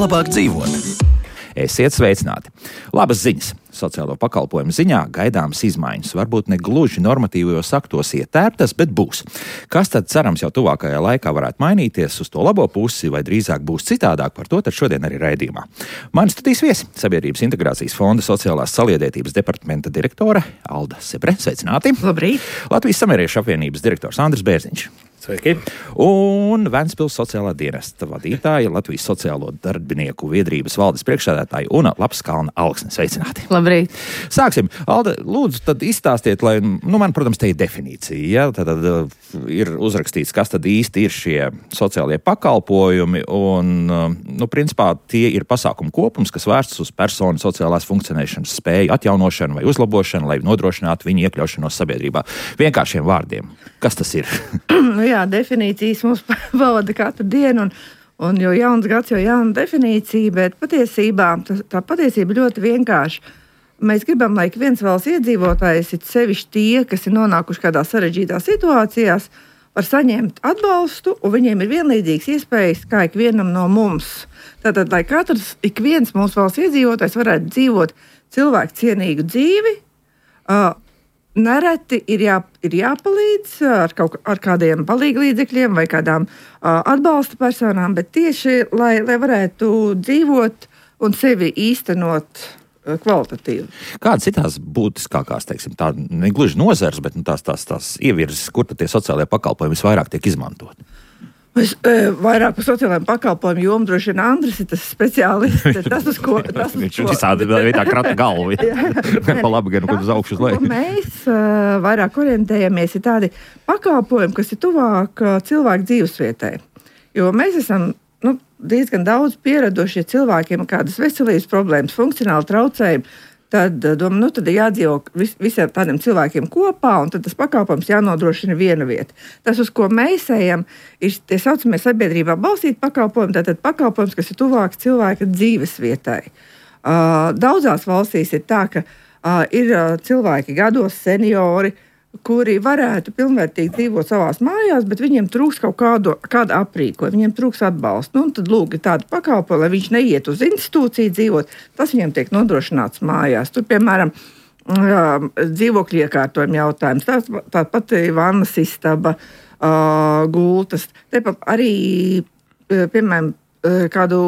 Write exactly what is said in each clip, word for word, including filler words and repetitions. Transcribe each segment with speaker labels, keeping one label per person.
Speaker 1: Labāk dzīvot. Esiet sveicināti. Labas ziņas. Sociālo pakalpojumu ziņā gaidāmas izmaiņas. Varbūt ne gluži normatīvajos aktos ietērptas, bet būs. Kas tad cerams jau tuvākajā laikā varētu mainīties uz to labo pusi, vai drīzāk būs citādāk, par to tad šodien arī raidījumā. Mani studijas viesi Sabiedrības integrācijas fonda sociālās saliedētības departamenta direktore Alda Sebre. Sveicināti.
Speaker 2: Labrīt.
Speaker 1: Latvijas samieriešu apvienības direktors Andris Bērziņš.
Speaker 3: Sveiki.
Speaker 1: Un Ventspils sociālā dienesta vadītāja, Latvijas sociālo darbinieku biedrības valdes priekšsēdētāja Una Lapskalna Alksne. Sveicināti.
Speaker 2: Labrīt.
Speaker 1: Sāksim. Alda, lūdzu, tad izstāstiet, lai, nu, man, protams, te ir definīcija, ja? Tad, tad ir uzrakstīts, kas tad īsti ir šie sociālie pakalpojumi, un, nu, principā tie ir pasākumu kopums, kas vērsts uz personu sociālās funkcionēšanas spēju atjaunošanu vai uzlabošanu, lai nodrošinātu viņu iekļaušanos sabiedrībā. Vienkāršiem vārdiem. Kas tas ir?
Speaker 2: Nu jā, definīcijas mums pavada katru dienu, un, un jo jauns gads, jo jauna definīcija, bet patiesībā tā, tā patiesība ļoti vienkārša. Mēs gribam, lai viens valsts iedzīvotājs, it sevišķi tie, kas ir nonākuši kādā sarežģītā situācijās, var saņemt atbalstu, un viņiem ir vienlīdzīgas iespējas kā ikvienam no mums. Tātad, lai katrs, ik viens mūsu valsts iedzīvotājs varētu dzīvot cilvēku cienīgu dzīvi, uh, nereti ir, jā, ir jāpalīdz ar, kaut, ar kādiem palīglīdzekļiem vai kādām uh, atbalsta personām, bet tieši, lai, lai varētu dzīvot un sevi īstenot uh, kvalitatīvi.
Speaker 1: Kādas ir tās būtiskākās, teiksim, tā negluži nozars, bet nu, tās, tās, tās ievirzes, kur tad tie sociālajie pakalpojumi visvairāk tiek izmantoti?
Speaker 2: Es, e, vairāk par sociālajiem pakalpojumu jomu droši vien Andris ir tas speciālists. Tas, uz ko... Tas, uz
Speaker 1: Viņš visādi vietā krata galvu. Pa labi, gan uz augšu uz leju.
Speaker 2: Mēs uh, vairāk orientējamies ir tādi pakalpojumi, kas ir tuvāk uh, cilvēku dzīvesvietai. Jo mēs esam nu, diezgan daudz pieradušie cilvēkiem kādas veselības problēmas, funkcionāli traucējumi. Tad, domā, nu, tad ir jādzīvo vis, visiem tādiem cilvēkiem kopā, un tad tas pakalpojums jānodrošina viena vieta. Tas, uz ko mēs ejam, ir tie saucamie sabiedrībā balstīti pakalpojumi, tātad pakalpojums, kas ir tuvāks cilvēka dzīves vietai. Uh, daudzās valstīs ir tā, ka uh, ir uh, cilvēki gados, seniori, kuri varētu pilnvērtīgi dzīvot savās mājās, bet viņiem trūks kaut kādu, kādu aprīkojumu, viņiem trūks atbalstu. Nu, tad lūk, ir tāda pakalpojuma, lai viņš neiet uz institūciju dzīvot, tas viņiem tiek nodrošināts mājās. Tur, piemēram, dzīvokļu iekārtojuma jautājums, tā, tā pati vannas istaba, gultas, tepat arī, piemēram, kādu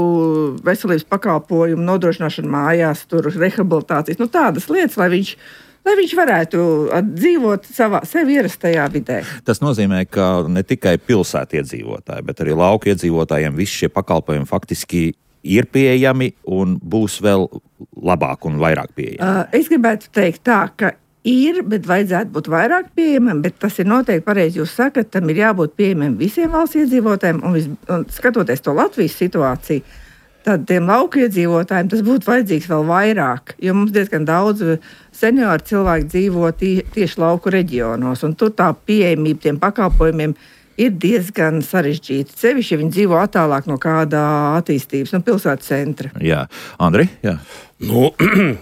Speaker 2: veselības pakalpojumu nodrošināšanu mājās, tur rehabilitācijas, nu tādas lietas, lai viņš lai viņš varētu dzīvot savā sev ierastajā vidē.
Speaker 1: Tas nozīmē, ka ne tikai pilsētu iedzīvotāji, bet arī lauku iedzīvotājiem visi šie pakalpojumi faktiski ir pieejami un būs vēl labāk un vairāk pieejami.
Speaker 2: Uh, es gribētu teikt tā, ka ir, bet vajadzētu būt vairāk pieejamam, bet tas ir noteikti pareizi. Jūs sakat, tam ir jābūt pieejamam visiem valsts iedzīvotājiem, un, vis, un skatoties to Latvijas situāciju, tad tiem lauku iedzīvotājiem tas būtu vajadzīgs vēl vairāk, jo mums diezgan daudz senioru cilvēku dzīvo tie, tieši lauku reģionos, un tur tā pieejamība tiem pakalpojumiem ir diezgan sarežģīta. Sevišķi, ja viņi dzīvo attālāk no kādā attīstības, no pilsētas centra.
Speaker 1: Jā. Andri? Jā.
Speaker 3: Nu,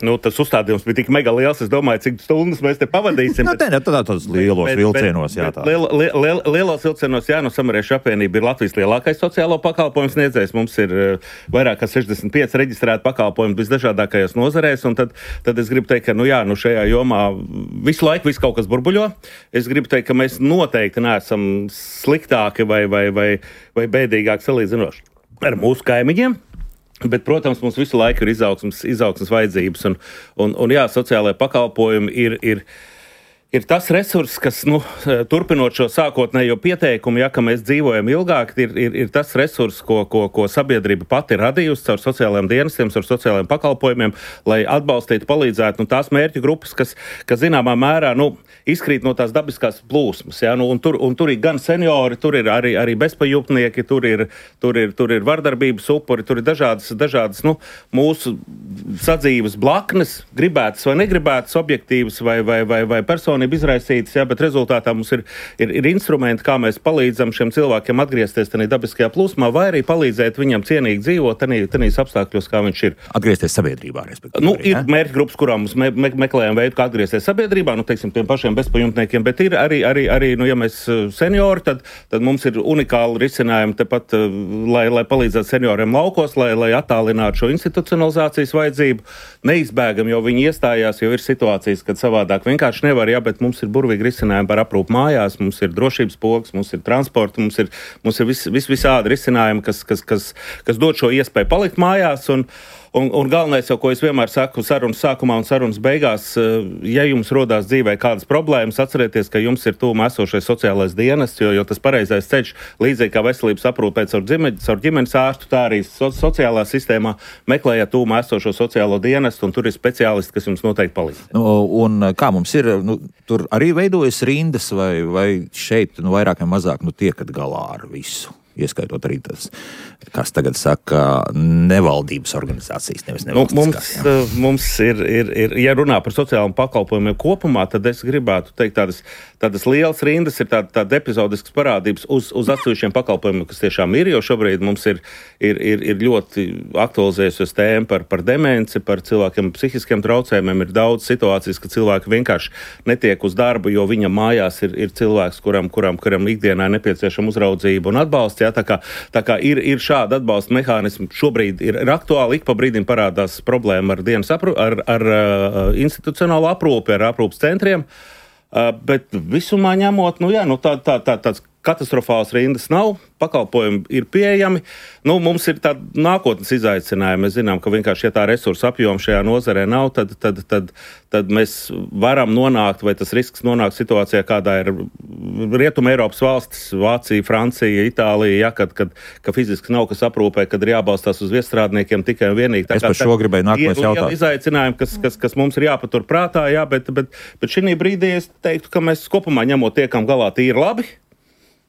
Speaker 3: nu, tas uzstādījums bija tik mega liels, es domāju, cik stundas mēs te pavadīsim.
Speaker 1: Nu, te ne, tad tādos lielos bet, vilcienos, jā. Tā.
Speaker 3: Liel, liel, liel, lielos vilcienos, jā, no Samariešu apvienība ir Latvijas lielākais sociālo pakalpojumu sniedzējs. Mums ir uh, vairāk kā sešdesmit pieci reģistrēti pakalpojumi visdažādākajās nozarēs, un tad, tad es gribu teikt, ka, nu jā, nu šajā jomā visu laiku viss kaut kas burbuļo. Es gribu teikt, ka mēs noteikti neesam sliktāki vai, vai, vai, vai bēdīgāki salīdzinoši ar mūsu kaimiņiem. Bet, protams, mums visu laiku ir izaugsmes, izaugsmes vajadzības, un, un, un jā, sociālajie pakalpojumi ir, ir, ir tas resurss, kas, nu, turpinot šo sākotnējo pieteikumu, ja, ka mēs dzīvojam ilgāk, ir, ir, ir tas resurss, ko, ko, ko sabiedrība pati ir radījusi caur sociālajiem dienestiem, caur sociālajiem pakalpojumiem, lai atbalstītu, palīdzētu, nu, tās mērķu grupas, kas, kas zināmā mērā, nu, izkrīt no tās dabiskās plūsmas, ja, nu, un, tur, un tur ir gan seniori, tur ir arī, arī bezpajumtnieki, tur ir, tur ir, tur ir vardarbības upuri, tur ir dažādas, dažādas, nu, mūsu sadzīves blaknes, gribētas vai negribētas, objektīvas vai, vai, vai, vai personības uzmanību izraisītas, jā, bet rezultātā mums ir, ir, ir instrumenti, kā mēs palīdzam šiem cilvēkiem atgriezties tādā dabiskajā plūsmā, vai arī palīdzēt viņam cienīgi dzīvot tādīs apstākļos, kā viņš ir.
Speaker 1: Atgriezties sabiedrībā, respektīvi.
Speaker 3: Nu, ir mērķi grupas, kurām mums me, me, meklējam veidu, kā atgriezties sabiedrībā, nu, teiksim, tiem pašiem bezpajumtniekiem, bet ir arī, arī, arī nu, ja mēs seniori, tad, tad mums ir unikāli risinājumi tepat, lai, lai palīdzētu senioriem laukos, lai, lai attālinātu šo institucionalizācijas vajadzību. Neizbēgam, jo viņi iestājās, jo ir situācijas, kad savādāk vienkārši nevar, jā, bet mums ir burvīgi risinājumi par aprūpu mājās, mums ir drošības pogas, mums ir transporta, mums ir, mums ir vis, vis, visādi risinājumi, kas, kas, kas, kas dod šo iespēju palikt mājās. Un, un, un galvenais jau, ko es vienmēr saku sarunas sākumā un sarunas beigās, ja jums rodās dzīvē kādas problēmas, atcerieties, ka jums ir tūmā esošais sociālais dienests, jo, jo tas pareizais ceļš, līdzīgi kā veselības aprūpē caur ģimenes, caur ģimenes ārstu, tā arī so, sociālā sistēmā meklējiet tūmā esošo sociālo dienestu, un tur ir speciālisti, kas jums noteikti palīdz.
Speaker 1: Nu, un kā mums ir, nu, tur arī veidojas rindas, vai, vai šeit nu, vairāk vai mazāk nu, tiekat galā ar visu? Ieskaitot arī tas, kas tagad saka, nevaldības organizācijas, nevis nevalstiskās.
Speaker 3: Nu, mums, mums ir, ir, ir, ja runā par sociālajiem pakalpojumiem kopumā, tad es gribētu teikt tādas, tādas lielas rindas, ir tāda, tāda epizodiskas parādības uz, uz atsevišķiem pakalpojumiem, kas tiešām ir, jo šobrīd mums ir, ir, ir, ir ļoti aktualizējusies tēma par, par demenci, par cilvēkiem psihiskiem traucējumiem. Ir daudz situācijas, ka cilvēki vienkārši netiek uz darbu, jo viņam mājās ir, ir cilvēks, kuram, kuram, kuram ikdienā ir nepieciešama uzraudzība un atbalsts. Jā, tā kā, tā kā ir, ir šāda atbalsta mehānismi, šobrīd ir, ir aktuāli, ik pa brīdim parādās problēma ar dienas aprūpi, ar, ar, ar institucionālu aprūpi, ar aprūpas centriem, uh, bet visumā ņemot, nu jā, nu tā, tā, tā, tāds katastrofāls rindas nav, pakalpojumi ir pieejami. Nu, mums ir tāda nākotnes izaicinājuma. Mēs zinām, ka vienkārši, ja tā resursa apjoma šajā nozarē nav, tad, tad, tad, tad mēs varam nonākt, vai tas risks nonākt situācijā, kādā ir Rietuma Eiropas valstis, Vācija, Francija, Itālija, ja, kad, kad, ka fiziski nav kas aprūpē, kad ir jābalstās uz viestrādniekiem tikai un vienīgi. Tā
Speaker 1: es par šo gribēju nākamais jautāt.
Speaker 3: Ir izaicinājumi, kas, kas, kas mums ir jāpatur prātā, jā, bet, bet, bet šī brīdī es teiktu, ka mēs kopumā ņemot tiekam galā tīri labi.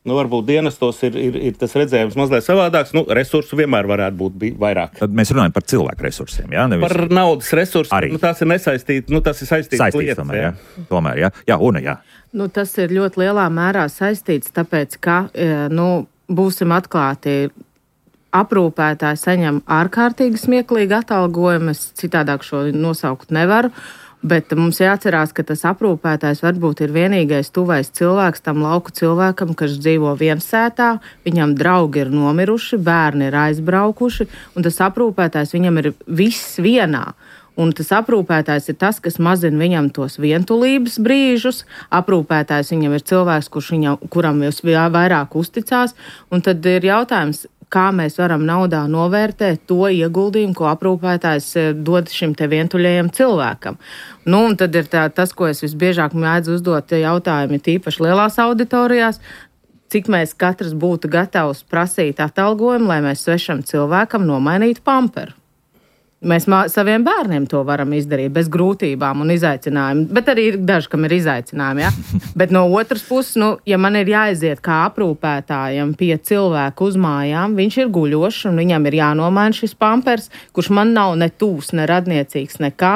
Speaker 3: Nu, varbūt dienestos ir, ir, ir tas redzējums mazliet savādāks. Nu, resursu vienmēr varētu būt vairāk.
Speaker 1: Tad mēs runājam par cilvēku resursiem, jā? Nevis...
Speaker 3: Par naudas resursiem. Nu, tās ir nesaistītas, nu, tas ir saistītas lietas.
Speaker 1: Tomēr, jā. Tomēr, jā. Jā, Una, jā.
Speaker 4: Nu, tas ir ļoti lielā mērā saistīts, tāpēc, ka, nu, būsim atklāti, aprūpētāji saņem ārkārtīgi smieklīgi atalgojumu, es citādāk šo nosaukt nevaru. Bet mums jāatcerās, ka tas aprūpētājs varbūt ir vienīgais tuvais cilvēks tam lauku cilvēkam, kas dzīvo viensētā, viņam draugi ir nomiruši, bērni ir aizbraukuši, un tas aprūpētājs viņam ir viss vienā. Un tas aprūpētājs ir tas, kas mazina viņam tos vientulības brīžus. Aprūpētājs viņam ir cilvēks, kurš viņam, kuram vairāk uzticās, un tad ir jautājums, kā mēs varam naudā novērtēt to ieguldījumu, ko aprūpētājs dod šim te vientuļajam cilvēkam. Nu, un tad ir tā, tas, ko es visbiežāk mēdzu uzdot jautājumi, tīpaši lielās auditorijās, cik mēs katrs būtu gatavs prasīt atalgojumu, lai mēs svešam cilvēkam nomainītu pamperu. Mēs mā, saviem bērniem to varam izdarīt bez grūtībām un izaicinājumiem, bet arī ir daži, kam ir izaicinājumi, ja? Bet no otras puses, nu, ja man ir jāaiziet kā aprūpētājam pie cilvēku uz mājām, viņš ir guļošs un viņam ir jānomaina šis pampers, kurš man nav ne tūs, ne radniecīgs, nekā,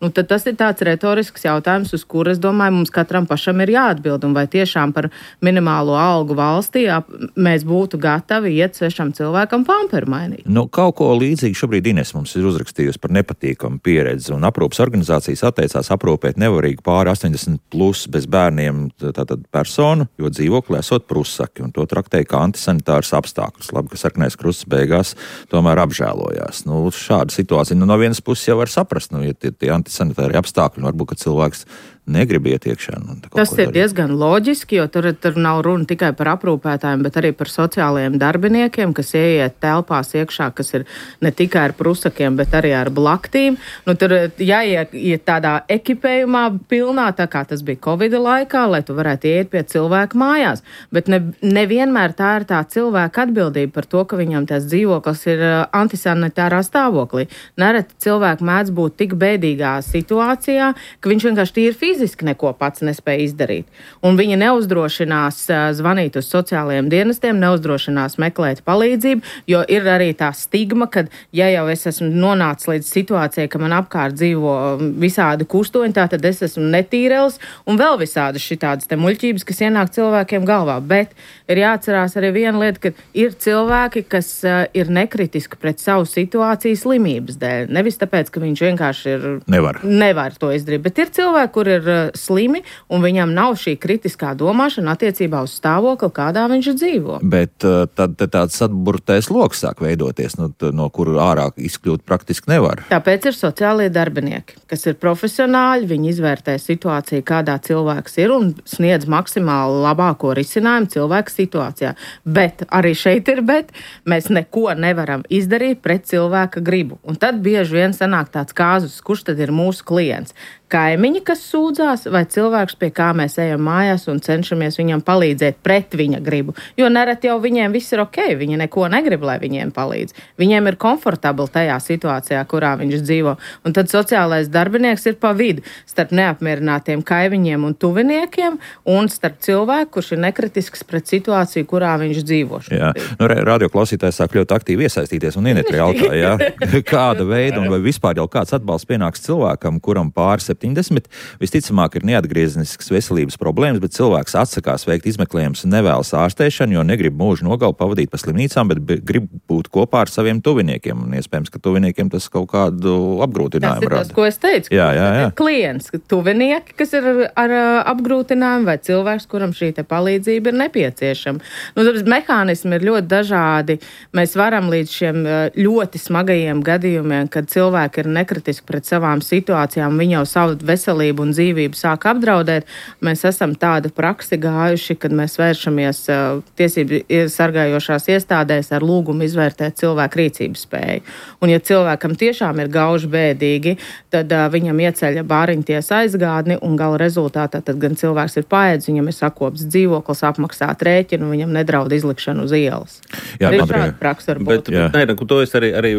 Speaker 4: nu, tad tas ir tāds retorisks jautājums, uz kur, es domāju, mums katram pašam ir jāatbild, un vai tiešām par minimālo algu valstī jā, mēs būtu gatavi iet svešam cilvēkam pamperu mainīt.
Speaker 1: Nu, kaut ko līdzīgi šobrīd Ines mums ir uzrakstījusi par nepatīkamu pieredzi, un aprūpas organizācijas atteicās aprūpēt nevarīgi pāri astoņdesmit plus bez bērniem tātad personu, jo dzīvokli esot prusaki, un to traktēja kā antisanitārs apstākļus. Labi, ka Sarkanais krusts beigās tomēr apžēlojās. Nu, šāda situācija, nu, no vienas puses jau var saprast, nu, ja tie, tie antisanitāri apstākļi, nu, varbūt, ka cilvēks negrib iet iekšā. Nu,
Speaker 4: tas ir diezgan loģiski, jo tur, tur nav runa tikai par aprūpētājiem, bet arī par sociālajiem darbiniekiem, kas ieiet telpās iekšā, kas ir ne tikai ar prusakiem, bet arī ar blaktīm. Nu, tur jāiet tādā ekipējumā pilnā, tā kā tas bija Covida laikā, lai tu varētu iet pie cilvēka mājās. Bet ne, nevienmēr tā ir tā cilvēka atbildība par to, ka viņam tās dzīvoklis ir antisanitārā stāvoklī. Nereti cilvēki mēdz būt tik bēdīgā situācijā, ka viņš vienkārši tīri fiziski neko pats nespēja izdarīt. Un viņi neuzdrošinās zvanīt uz sociālajiem dienestiem, neuzdrošinās meklēt palīdzību, jo ir arī tā stigma, ka ja jau es esmu nonācis līdz situācijai, ka man apkārt dzīvo visādi kustoņi, tā tad es esmu netīrels un vēl visādi šitādas te muļķības, kas ienāk cilvēkiem galvā. Bet ir jāatcerās arī viena lieta, ka ir cilvēki, kas uh, ir nekritiski pret savu situāciju slimības dēļ. Nevis tāpēc, ka viņš vienkārši ir
Speaker 1: nevar,
Speaker 4: nevar to izdarīt, bet ir cilvēki, kur ir uh, slimi un viņam nav šī kritiskā domāšana attiecībā uz stāvokli, kādā viņš dzīvo.
Speaker 1: Bet uh, tad tāds atburtais loks sāk veidoties, no, no kuru ārā izkļūt praktiski nevar.
Speaker 4: Tāpēc ir sociālie darbinieki, kas ir profesionāļi, viņi izvērtē situāciju, kādā cilvēks ir un sniedz maksimāli labāko risinājumu cilvēka situācijā. Bet arī šeit ir bet, mēs neko nevaram izdarīt pret cilvēka gribu. Un tad bieži vien sanāk tāds kāzus, kurš tad ir mūsu klients. Kaimiņi, kas sūdzās, vai cilvēks, pie kā mēs ejam mājās un cenšamies viņam palīdzēt pret viņa gribu. Jo nereti jau viņiem viss ir ok, viņi neko negrib, lai viņiem palīdz. Viņiem ir komfortabli tajā situācijā, kurā viņš dzīvo. Un tad sociālais darbinieks ir pa vidu starp neapmierinātiem kaimiņiem un tuviniekiem un starp cilvēku, kurš ir nekritisks pret situāciju, kurā viņš dzīvo.
Speaker 1: Jā, nu, radioklausītājs sāk ļoti aktīvi iesaistīties un Inetri jautā, jā, kāda veida un vai vispār jau kāds atbalsts pienāks cilvēkam, kuram pāri septiņdesmit, visticamāk ir neatgriezenisks veselības problēmas, bet cilvēks atsakās veikt izmeklējumus un nevēlas ārstēšanu, jo negrib mūžu nogalu pavadīt pa slimnīcām, bet grib būt kopā ar saviem tuviniekiem. Un iespējams, ka tuviniekiem tas kaut kādu apgrūtinājumu rada.
Speaker 4: Tas ir tas, ko es teicu.
Speaker 1: Jā, jā, jā.
Speaker 4: Klients, tuvinieki, kas ir ar, ar apgrūtinājumu, vai cilvēks, kuram šī te palīdzība ir nepieciešama. Nu, tāpēc mehānismi ir ļoti dažādi. Mēs varam līdz šiem ļoti smagajiem gadījumiem, kad cilvēki ir nekritiski pret savām situācijām, viņi jau savu veselību un dzīvību sāk apdraudēt. Mēs esam tādu praksi gājuši, kad mēs vēršamies uh, tiesību sargājošās iestādēs ar lūgumu izvērtēt cilvēku rīcības spēju. Un ja cilvēkam tiešām ir gauži bēdīgi, tad uh, viņam ieceļ bāriņtiesa aizgādni un gala rezultātā tad gan cilvēks ir paēdis, viņam ir sakops dzīvoklis, apmaksāt rēķinu, viņam nedraud izlikšanu uz ielas.
Speaker 1: Jā,
Speaker 4: arī šāda praksa var būt.
Speaker 3: Bet, bet nē, to es arī, arī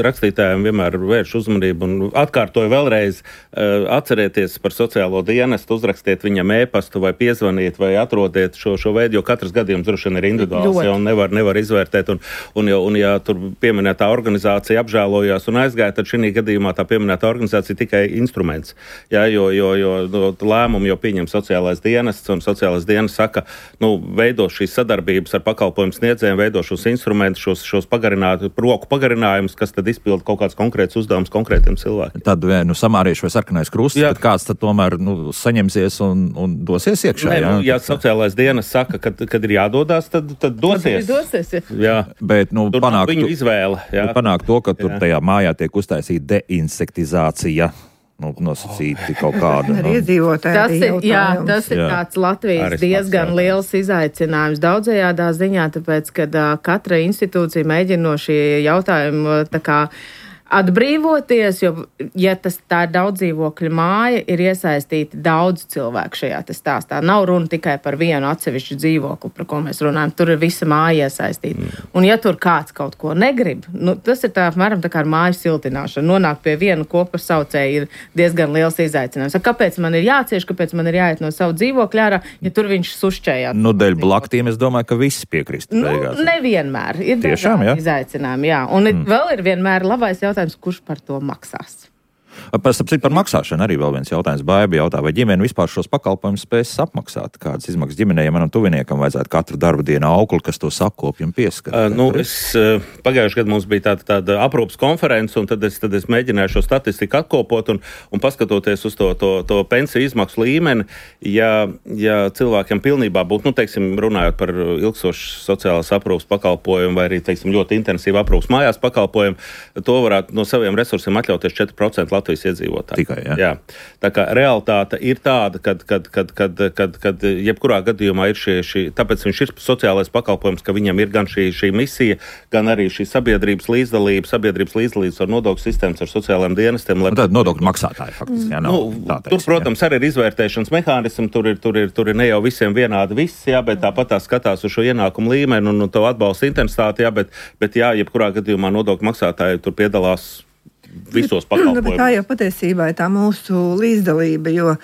Speaker 3: rakstītājiem vienmēr vēršu uzmanību un atkārtoju vēlreiz. Atcerieties par sociālo dienestu, uzrakstiet viņam e-pastu vai piezvaniet vai atrodiet šo, šo veidu, jo katrs gadījums droši vien ir individuāls, ja, un nevar, nevar izvērtēt. Un, un, ja, un ja tur pieminētā organizācija apžēlojās un aizgāja, tad šī gadījumā tā pieminētā organizācija tikai instruments. Ja, jo, jo, jo no, lēmumu jau pieņem sociālais dienests, un sociālais dienests saka, nu, veido šīs sadarbības ar pakalpojumu sniedzējiem, veido šos instrumentus, šos, šos pagarināt, roku pagarinājumus, kas tad izpilda kaut kāds konkrēts uzdevums konkrētiem cilvēkiem.
Speaker 1: Tad, nu, samārieši vai sarkanais krusts, tad kāds tad tomēr nu, saņemsies un, un dosies iekšā.
Speaker 3: Nē,
Speaker 1: jā?
Speaker 3: Nu, ja sociālais dienas saka, kad, kad ir jādodās, tad, tad dosies.
Speaker 4: dosies
Speaker 3: jā.
Speaker 1: Bet, nu,
Speaker 3: tur
Speaker 1: panāk,
Speaker 3: viņu izvēle. Jā.
Speaker 1: Panāk to, ka tur jā. Tajā mājā tiek uztaisīta deinsektizācija. Nu, nosacīti kaut kāda.
Speaker 2: Nu.
Speaker 4: Tas ir, jā, tas ir
Speaker 1: jā.
Speaker 4: tāds Latvijas
Speaker 3: Arī
Speaker 4: diezgan
Speaker 3: pats,
Speaker 4: liels izaicinājums daudzajādā ziņā, tāpēc, kad uh, katra institūcija mēģina no šī jautājuma tā kā atbrīvoties, jo, ja tas tā ir daudz dzīvokļu māja, ir iesaistīti daudz cilvēku šajā stāstā. Nav runa tikai par vienu atsevišķu dzīvokli, par ko mēs runājam. Tur ir visa māja iesaistīta. Mm. Un ja tur kāds kaut ko negrib, nu, tas ir tā, apmēram tā kā ar māju siltināšanu. Nonākt pie viena kopas saucēja ir diezgan liels izaicinājums. Kāpēc man ir jācieš, kāpēc man ir jāiet no savu dzīvokļu ārā, ja tur viņš sušķējās?
Speaker 1: Nu, dēļ blaktiem es domāju, ka visi piekrist.
Speaker 4: Nu, nevienmēr. Ir
Speaker 1: tiešām, jā?
Speaker 4: Izaicinājumi, jā. Un mm. vēl ir vienmēr labais jautājums, kurš par to maksās.
Speaker 1: Par, par maksāšanu arī vēl viens jautājums. Baiba jautā, vai ģimene vispār šos pakalpojumus spēs apmaksāt? Kādas izmaksas ģimenei, ja manam tuviniekam vajadzētu katru darba dienu aukli, kas to sakopju un pieskata?
Speaker 3: Uh, nu, es, uh, pagājušajā gadā mums bija tāda, tāda aprūpas konference, un tad es, tad es mēģināju šo statistiku atkopot un, un paskatoties uz to, to, to pensiju izmaksu līmeni, ja, ja cilvēkiem pilnībā būtu, nu, teiksim, runājot par ilgstošu sociālās aprūpas pakalpojumu vai arī, teiksim, ļoti intensīvu aprūpas mājās pakalpojumu, to varētu no saviem resursiem atļauties četri procenti Latvijas iedzīvotāji.
Speaker 1: Tikai, jā.
Speaker 3: jā. Tā kā realitāte ir tāda, kad, kad, kad, kad, kad, kad jebkurā gadījumā ir šie, šī, tāpēc viņš ir sociālais pakalpojums, ka viņam ir gan šī, šī misija, gan arī šī sabiedrības līdzdalība, sabiedrības līdzdalības ar nodokļu sistēmas, ar sociālajiem dienestiem. Lai...
Speaker 1: Nu, tad nodokļu maksātāji faktiski. Jā, nav,
Speaker 3: nu,
Speaker 1: tā
Speaker 3: tur, protams, jā. Arī ir izvērtēšanas mehānismi, tur ir, tur ir, tur ir ne jau visiem vienādi viss, jā, bet tāpat tā skatās uz šo ienākumu līmeni un, un to atbalsta intensitāti, jā, bet, bet jā, jebkurā gadījumā nodokļu maksātāji tur piedalās visos pakalpojumos.
Speaker 2: Tā jau patiesībā ir tā mūsu līdzdalība, jo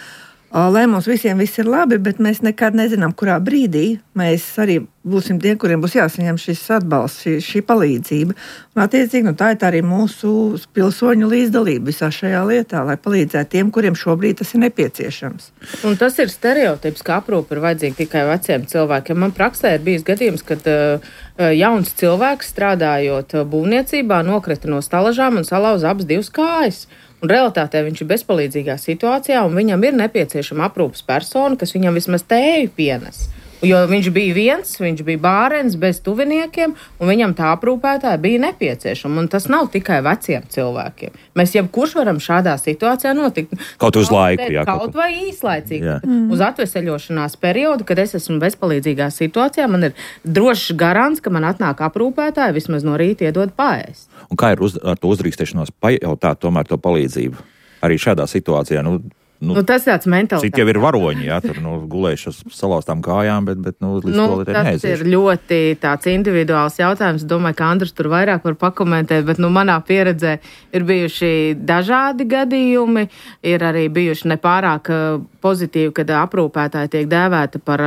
Speaker 2: lai mums visiem viss ir labi, bet mēs nekad nezinām, kurā brīdī mēs arī būsim tie, kuriem būs jāsaņem šis atbalsts, šī, šī palīdzība. Un attiecīgi, nu, tā ir tā arī mūsu pilsoņu līdzdalība visā šajā lietā, lai palīdzētu tiem, kuriem šobrīd tas ir nepieciešams.
Speaker 4: Un tas ir stereotips, ka aprūpe ir vajadzīga tikai veciem cilvēkiem. Man praksē ir bijis gadījums, kad uh, jauns cilvēks strādājot būvniecībā nokrita no stalažām un salauza abas divas kājas. Un realitātē viņš ir bezpalīdzīgā situācijā, un viņam ir nepieciešama aprūpes persona, kas viņam vismaz tēju pienes. Jo viņš bija viens, viņš bija bārens bez tuviniekiem, un viņam tā aprūpētāja bija nepieciešama. Un tas nav tikai veciem cilvēkiem. Mēs jebkurš varam šādā situācijā notikt.
Speaker 1: Kaut uz laiku, jā.
Speaker 4: Kaut, kaut vai īslaicīgi. Mm. Uz atveseļošanās periodu, kad es esmu bezpalīdzīgā situācijā, man ir drošs garants, ka man atnāk aprūpētāja, vismaz no rīta iedod paēst.
Speaker 1: Un kā ir uz, ar to uzdrīkstēšanos pajautāt tomēr to palīdzību? Arī šādā situācijā, nu,
Speaker 4: Nu, nu, tas tāds mentāls.
Speaker 1: Citi jau ir varoņi, jā, tur nu, gulējuši uz salauztām kājām, bet, bet nu, līdz
Speaker 4: nu,
Speaker 1: to lietai neaizies.
Speaker 4: Tas ir ļoti tāds individuāls jautājums. Domāju, ka Andris tur vairāk var pakomentēt, bet nu, manā pieredzē ir bijuši dažādi gadījumi. Ir arī bijuši nepārāk pozitīvi, kad aprūpētāji tiek dēvēta par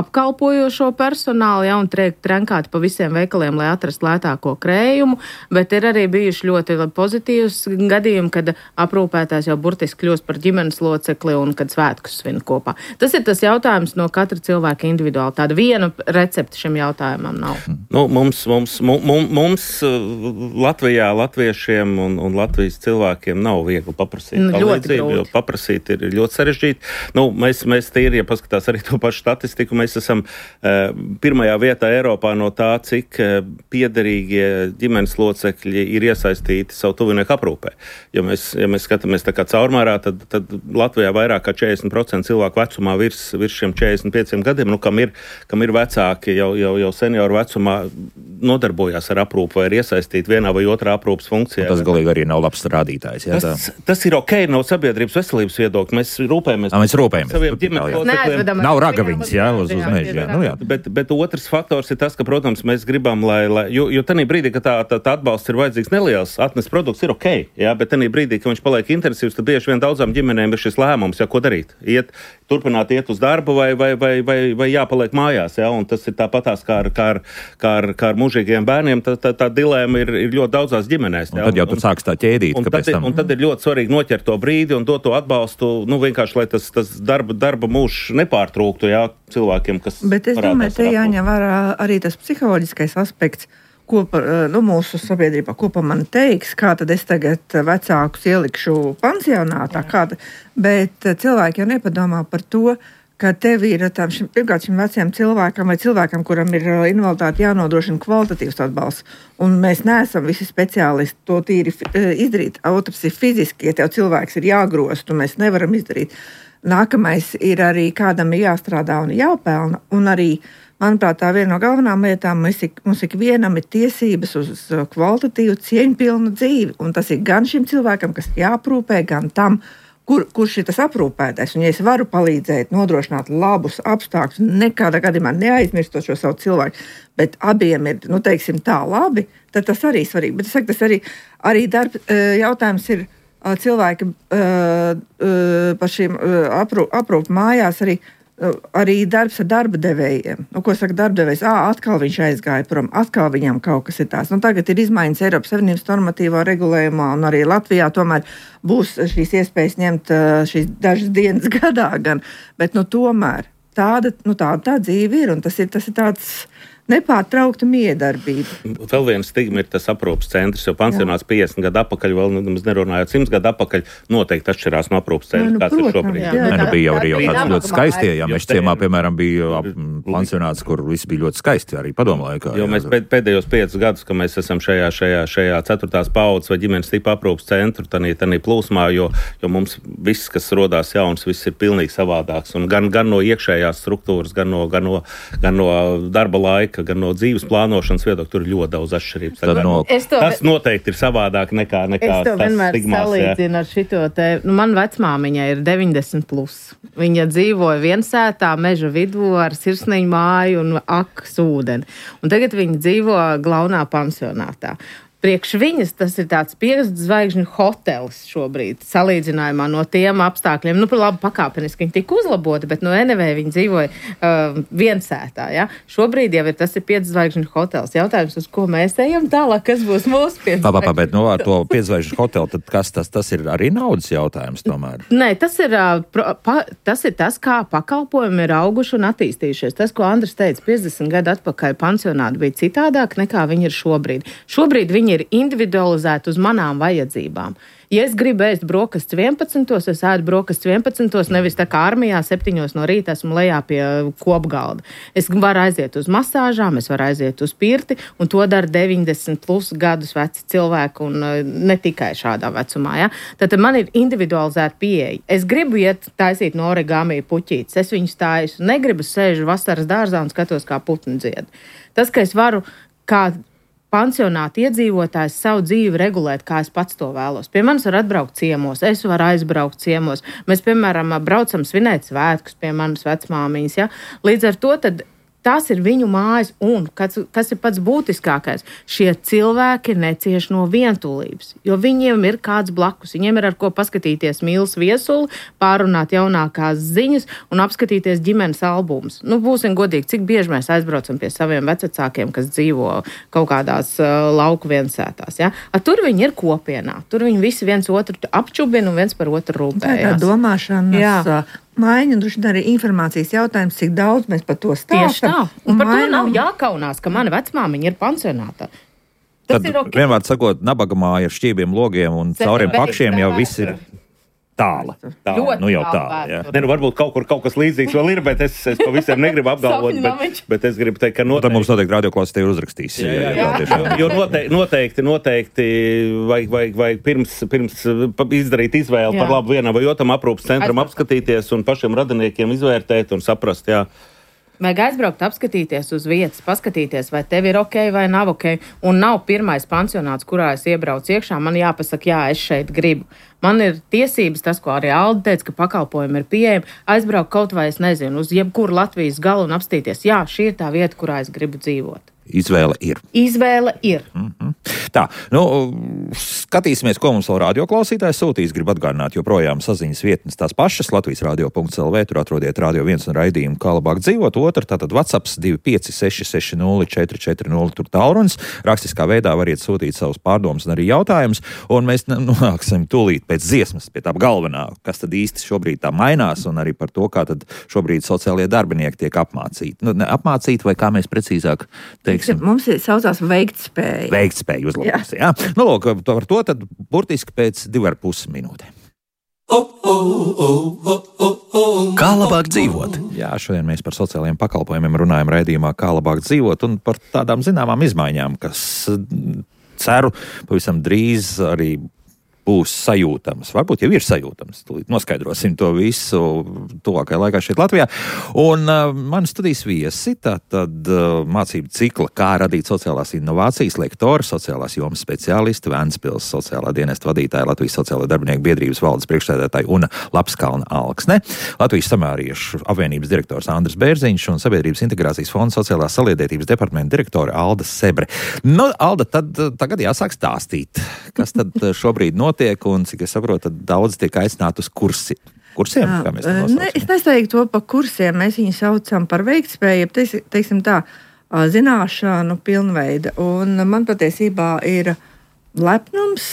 Speaker 4: apkalpojošo personālu, ja, un tiek trenkāti pa visiem veikaliem, lai atrastu lētāko krējumu, bet ir arī bijuši ļoti pozitīvs gadījumi, kad aprūpētājs jau burtiski kļūst par ģimenes locekli un kad svētkus svin kopā. Tas ir tas jautājums no katra cilvēka individuāli. Tāda viena recepte šim jautājumam nav.
Speaker 3: Nu, mums, mums, mums, mums Latvijā, latviešiem un, un Latvijas cilvēkiem nav viegli paprasīt
Speaker 4: nu,
Speaker 3: palīdzību, jo paprasīt ir ļoti sarežģīti. Nu, mēs, mēs tīri, ja paskatās arī to pašu statistiku, mēs esam uh, pirmajā vietā Eiropā no tā, cik uh, piederīgie ģimenes locekļi ir iesaistīti savu tuvinieku aprūpē. Ja mēs, ja mēs skatāmies tā kā caurmērā, tad, tad Latvijā vairāk kā četrdesmit procenti cilvēku vecumā virs, virs šiem četrdesmit pieciem gadiem, nu, kam ir, kam ir vecāki jau, jau, jau senioru vecumā nodarbojās ar aprūpu vai ir iesaistīti vienā vai otrā aprūpas funkcijā.
Speaker 1: Un tas galīgi arī nav labs rādītājs. Jā,
Speaker 3: tas, tas ir ok no sabiedrības veselības viedokļa. Mēs rūpējamies
Speaker 1: par saviem
Speaker 3: ģimenes locekļiem.
Speaker 1: Nav ragaviņas, jā, uz, uz meža. Jā. Nu, jā.
Speaker 3: Bet, bet otrs faktors ir tas, ka, protams, mēs gribam, lai, lai jo, jo tanī brīdī, ka tā, tā, tā atbalsts ir vajadzīgs neliels, atnes produkts ir ok, jā, bet tanī brīdī, ka viņš paliek intensīvs, tad bieži vien daudzām ģimenēm ir šis lēmums, jā, ko darīt. Iet, turpināt iet uz darbu vai, vai, vai, vai, vai jāpaliek mājās, jā, un tas ir tāpatās kā ar, kā ar, kā ar, kā ar mūžīgiem bērniem, tā, tā, tā dilēma ir, ir ļoti daudzās ģimenēs. Jā,
Speaker 1: un tad jau tur sāks tā ķēdīt.
Speaker 3: Un, tad, tam... un tad ir ļoti svarīgi noķert to brīdi un dot to atbalstu, nu vienkārši, lai tas, tas darba, darba mūžs nepārtrūktu, jā, cilvēkiem, kas
Speaker 2: Bet es domāju, te jāņem vērā arī tas psiholoģiskais aspekts, ko par, nu, mūsu sabiedrībā, ko pa man teiks, kā tad es tagad vecākus ielikšu pansionātā, kāda, bet cilvēki jau nepadomā par to, ka tev ir tam, šim, pirmkārt šim veciem cilvēkam vai cilvēkam, kuram ir invaliditāte, jānodrošina kvalitatīvs atbalsts. Un mēs neesam visi speciālisti to tīri izdarīt. Otrs ir fiziski, ja tev cilvēks ir jāgrost, un mēs nevaram izdarīt. Nākamais ir arī kādam ir jāstrādā un jāpelna, un arī manuprāt, tā viena no galvenām lietām, mums, ik, mums ikvienam ir tiesības uz kvalitatīvu, cieņpilnu dzīvi. Un tas ir gan šim cilvēkam, kas jāaprūpē, gan tam, kur, kurš ir tas aprūpētais. Un ja es varu palīdzēt, nodrošināt labus apstākļus, nekādā gadījumā neaizmirstot šo savu cilvēku, bet abiem ir, nu, teiksim, tā labi, tad tas arī svarīgi. Bet es saku, tas arī, arī darb, jautājums ir cilvēki par šīm aprūp, aprūp mājās arī. Arī darbs ar darba devējiem. Nu, ko saka darbdevējs? Ā, atkal viņš aizgāja prom, atkal viņam kaut kas ir tās. Nu, tagad ir izmaiņas Eiropas Savienības normatīvā regulējumā, un arī Latvijā tomēr būs šīs iespējas ņemt šīs dažas dienas gadā gan. Bet, nu, tomēr tāda, nu, tāda tā dzīve ir, un tas ir, tas ir tāds nepārtraukta miedarbība.
Speaker 3: Vēl viena stigma ir tas aprūpas centrs, jo pansionāts piecdesmit gadu atpakaļ, vēl nemaz nerunājot simts gadu atpakaļ, noteikti atšķirās no aprūpas centra,
Speaker 2: nu,
Speaker 3: kāds
Speaker 2: protams,
Speaker 3: ir šobrīd.
Speaker 2: Jā, jā.
Speaker 1: Ne, nu, bija jau arī jau tāds ļoti skaistie, ja mēs ciemā, piemēram, bija pansionāts, kur viss bija ļoti skaisti, arī padomu laikā.
Speaker 3: Jo mēs pēdējos piecus gadus, ka mēs esam šajā, šajā, šajā ceturtās paudzes vai ģimenes tipa aprūpas centru, tanī, tanī plūsmā, jo, jo mums viss, kas rodās jauns, viss ir pilnīgi savādāks. Un gan, gan no iekšējās struktūras, gan no, gan no, gan no darba laika, gan no dzīves plānošanas viedokļa, tur ir ļoti daudz atšķirības.
Speaker 1: Tad no...
Speaker 3: to... Tas noteikti ir savādāk nekā, nekā
Speaker 4: tas stigmās. Es to vienmēr salīdzinu ar šito te. Nu, man vecmāmiņa ir deviņdesmit plus. Viņa dzīvoja viensētā meža vidū ar sirsniņu māju un akas ūdeni. Un tagad viņa dzīvo Glaunā pansionātā. Priekš viņas tas ir tāds piecas zvaigžņu hotelis šobrīd, salīdzinājumā no tiem apstākļiem. Nu, par labi pakāpeniski viņi tika uzlaboti, bet no Enevē viņi dzīvoja uh, viensētā. Ja? Šobrīd jau ir tas ir piecas zvaigžņu hotelis. Jautājums, uz ko mēs ejam tālāk, kas būs mūsu piecas zvaigžņu hotelis?
Speaker 1: Bet no ar to piecas zvaigžņu hoteli, tad kas tas, tas ir arī naudas jautājums tomēr?
Speaker 4: Nē, tas ir, uh, pro, pa, tas ir tas, kā pakalpojumi ir auguši un attīstījušies. Tas, ko Andris teica, piecdesmit gadu atpakaļ pansionāti bija citādāk nekā viņi ir šobrīd. Šobrīd viņi ir individualizēti uz manām vajadzībām. Ja es gribu ēst brokastis vienpadsmitos, es ēdu brokastis vienpadsmitos, nevis tā kā armijā septiņos no rīta esmu lejā pie kopgalda. Es varu aiziet uz masāžām, es varu aiziet uz pirti, un to dara deviņdesmit plus gadus veci cilvēki, un ne tikai šādā vecumā. Ja? Tātad man ir individualizēta pieeja. Es gribu iet taisīt no origami puķītes, es viņu stāju, negribu sēžu vasaras dārzā un skatos, kā putni dzied. Tas, ka es varu kā pansionāta iedzīvotājs savu dzīvi regulēt, kā es pats to vēlos. Pie manis var atbraukt ciemos, es varu aizbraukt ciemos. Mēs, piemēram, braucam svinēt svētkus pie manas vecmāmiņas. Ja? Līdz ar to tad tās ir viņu mājas, un, kas, kas ir pats būtiskākais, šie cilvēki necieš no vientulības, jo viņiem ir kāds blakus, viņiem ir ar ko paskatīties mīlas viesuli, pārunāt jaunākās ziņas un apskatīties ģimenes albumus. Nu, būsim godīgi, cik bieži mēs aizbraucam pie saviem vecākiem, kas dzīvo kaut kādās uh, lauku viensētās. Ja? A, tur viņi ir kopienā, tur viņi visi viens otru apčubina un viens par otru rūpējās.
Speaker 2: Tā ir domāšanas maiņa, un droši arī informācijas jautājums, cik daudz mēs par to stāstam.
Speaker 4: Tieši tā. Un, un par mainam... to nav jākaunās, ka mana vecmāmiņa ir pansionātā. Tas
Speaker 1: Tad,
Speaker 4: ir ok.
Speaker 1: Vienmēr sakot, nabaga māja ar šķībiem, logiem un cauriem pakšiem jau viss ir tāla.
Speaker 3: tāla.
Speaker 1: Nu jau tāla, jā.
Speaker 3: Ne, nu varbūt kaut kur kaut kas līdzīgs vēl ir, bet es, es to visiem negribu apgalvot, bet, bet es gribu teikt, ka noteikti...
Speaker 1: Tad mums noteikti radioklausītāji uzrakstīs.
Speaker 3: Jā, jā, jā. jā. jā. Jo noteikti, noteikti, noteikti vajag, vajag, vajag pirms, pirms izdarīt izvēli jā. par labu vienam vai otram aprūpas centram apskatīties un pašiem radiniekiem izvērtēt un saprast, jā.
Speaker 4: Vajag aizbraukt, apskatīties uz vietas, paskatīties, vai tev ir ok vai nav ok. Un nav pirmais pansionāts, kurā es iebraucu iekšā. Man jāpasaka, jā, es šeit gribu. Man ir tiesības, tas, ko arī Alda teica, ka pakalpojumi ir pieejami, aizbraukt kaut vai, es nezinu, uz jebkuru Latvijas galu un apstīties. Jā, šī ir tā vieta, kurā es gribu dzīvot.
Speaker 1: Izvēle ir.
Speaker 4: Izvēle ir.
Speaker 1: Mm-hmm. Tā, nu, skatīsimies, ko mums vēl radioklausītājs sūtīs. Gribu atgādināt, joprojām saziņas vietnes tās pašas. Latvijas radio punkts el vē, tur atrodiet Radio viens un raidījumu Kā labāk dzīvot. Otra, tātad WhatsApps divi pieci seši seši nulle četri četri nulle, tur tālrunis. Rakstiskā veidā variet sūtīt savus pārdomus un arī jautājumus. Un mēs nonāksim tūlīt pēc dziesmas pie tā galvenā, kas tad īsti šobrīd tā mainās, un arī par to, kā tad šobrīd sociālie darbinieki tiek apmācīti. Nu, ne, apmācīti vai kā mēs precīzāk teiksim.
Speaker 2: Mums ir saucās veiktspēja.
Speaker 1: Veiktspēja uzlabojas, jā. jā. Nu, lūk, par to tad burtiski pēc divi ar pus minūtēm. Kā labāk dzīvot? Jā, šodien mēs par sociālajiem pakalpojumiem runājam raidījumā Kā labāk dzīvot un par tādām zināmām izmaiņām, kas, ceru, pavisam drīz arī būs sajūtams. Varbūt jau ir sajūtams. Tūlīt noskaidrosim to visu tuvākajā laikā šeit Latvijā. Un uh, mani studijas viesi, tātad uh, mācību cikla, kā radīt sociālās inovācijas, lektori, sociālās jomas speciālisti, Ventspils sociālā dienesta vadītāja, Latvijas sociālā darbinieku biedrības valdes priekšsēdētāja Una Lapskalna Alksne, Latvijas samāriešu apvienības direktors Andris Bērziņš un Sabiedrības integrācijas fonda sociālās saliedētības departamenta direktore Alda Sebre. Nu, Alda, tad tagad jāsāk stāstīt, kas tad šobrīd notiek. Un, cik es saprotu, tad daudz tiek aicināti uz kursi. Kursiem, kā mēs to nosaucam?
Speaker 2: Ne, es nesauktu to par kursiem, mēs viņu saucam par veiktspēju, teiks, teiksim tā, zināšanu pilnveida. Un man patiesībā ir lepnums,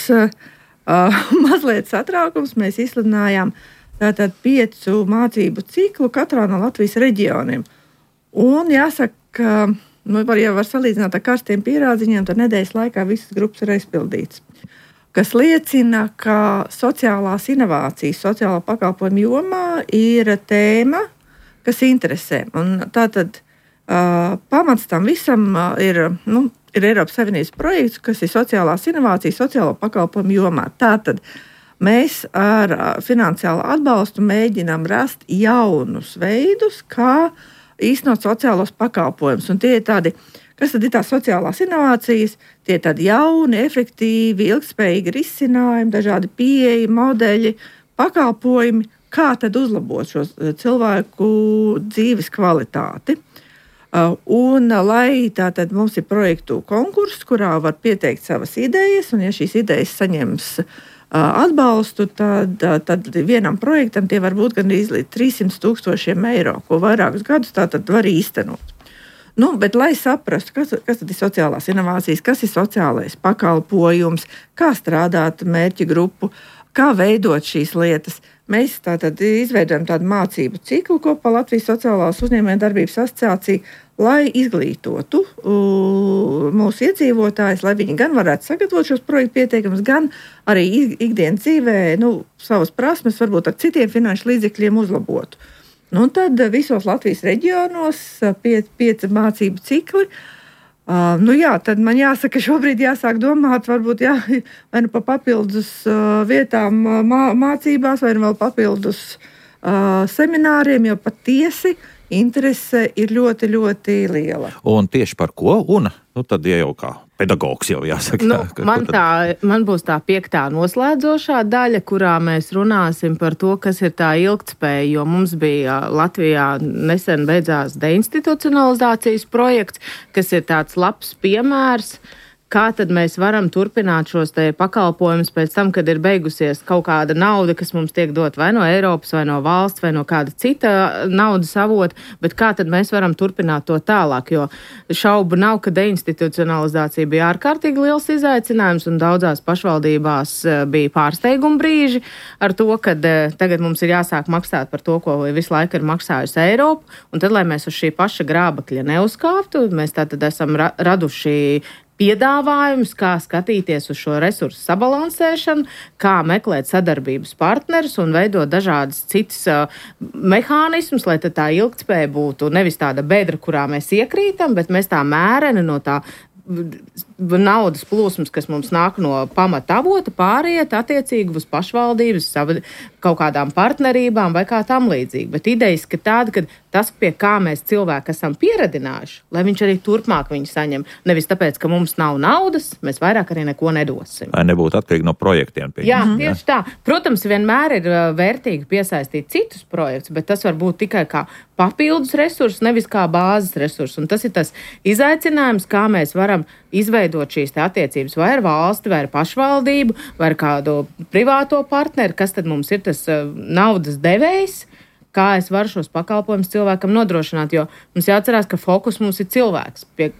Speaker 2: mazliet satraukums. Mēs izsludinājām tātad piecu mācību ciklu katrā no Latvijas reģioniem. Un jāsaka, nu, var, ja var salīdzināt ar karstiem pierādziņiem, tad nedēļas laikā visas grupas ir aizpildītas. Kas liecina, ka sociālās inovācijas, sociālā pakalpojuma jomā ir tēma, kas interesē. Un tātad uh, pamats tam visam uh, ir, nu, ir Eiropas Savienības projekts, kas ir sociālās inovācijas, sociālo pakalpojumu jomā. Tātad mēs ar uh, finansiālu atbalstu mēģinām rast jaunus veidus, kā īstenot sociālos pakalpojumus. Un tie ir tādi, kas tad ir tās sociālās inovācijas? Tie ir tādi jauni, efektīvi, ilgspējīgi risinājumi, dažādi pieeja, modeļi, pakalpojumi, kā tad uzlabot šo cilvēku dzīves kvalitāti. Un, lai tātad mums ir projektu konkurss, kurā var pieteikt savas idejas, un ja šīs idejas saņems atbalstu, tad, tad vienam projektam tie var būt gandrīz līdz trīssimti tūkstošiem eiro, ko vairākus gadus tātad var īstenot. Nu, bet, lai saprastu, kas, kas tad ir sociālās inovācijas, kas ir sociālais pakalpojums, kā strādāt mērķa grupu, kā veidot šīs lietas, mēs tātad izveidojam tādu mācību ciklu kopā Latvijas Sociālās uzņēmējdarbības asociācija, lai izglītotu uh, mūsu iedzīvotājus, lai viņi gan varētu sagatavot šos projektu pieteikumus, gan arī ikdienas dzīvē nu, savas prasmes varbūt ar citiem finanšu līdzekļiem uzlabotu. Nu, tad visos Latvijas reģionos pie, pieci mācību cikli. Uh, nu jā, tad man jāsaka, šobrīd jāsāk domāt, varbūt jā, vai nu pa papildus uh, vietām uh, mā, mācībās, vai nu vēl papildus uh, semināriem, jo patiesi interese ir ļoti, ļoti liela.
Speaker 1: Un tieši par ko? Un, nu, tad ja jau kā pedagogs jau jāsaka.
Speaker 4: Nu,
Speaker 1: ka,
Speaker 4: man, tā, man būs tā piektā noslēdzošā daļa, kurā mēs runāsim par to, kas ir tā ilgtspēja, jo mums bija Latvijā nesen beidzās deinstitucionalizācijas projekts, kas ir tāds labs piemērs, kā tad mēs varam turpināt šos te pakalpojumus pēc tam, kad ir beigusies kaut kāda nauda, kas mums tiek dot vai no Eiropas, vai no valsts, vai no kāda cita naudas avota, bet kā tad mēs varam turpināt to tālāk, jo šaubu nav, ka deinstitucionalizācija bija ārkārtīgi liels izaicinājums un daudzās pašvaldībās bija pārsteiguma brīži ar to, ka tagad mums ir jāsāk maksāt par to, ko visu laiku ir maksājusi Eiropa, un tad, lai mēs uz šī paša grābakļa neuzkāptu, mēs tātad esam ra- raduši piedāvājums, kā skatīties uz šo resursu sabalansēšanu, kā meklēt sadarbības partnerus un veidot dažādas citas uh, mehānismus, lai tā ilgtspēja būtu nevis tāda bedra, kurā mēs iekrītam, bet mēs tā mēreni no tā naudas plūsmas, kas mums nāk no pamata avota, pāriet attiecīgi uz pašvaldības, kaut kādām partnerībām vai kā tam līdzīgi. Bet idejas, ka tāda, ka tas, pie kā mēs cilvēki esam pieradinājuši, lai viņš arī turpmāk viņu saņem. Nevis tāpēc, ka mums nav naudas, mēs vairāk arī neko nedosim.
Speaker 1: Lai nebūtu atkarīgi no projektiem. Pie
Speaker 4: Jā, mm-hmm. tieši tā. Protams, vienmēr ir vērtīgi piesaistīt citus projektus, bet tas var būt tikai kā papildus resursus, nevis kā bāzes resursus. Un tas ir tas izaicinājums, kā mēs varam izveidot šīs attiecības vai ar valsti, vai ar pašvaldību, vai ar kādu privāto partneri, kas tad mums ir tas uh, naudas devējs, kā es varu šos pakalpojumus cilvēkam nodrošināt, jo mums jāatcerās, ka fokus mums ir cilvēks. Pie,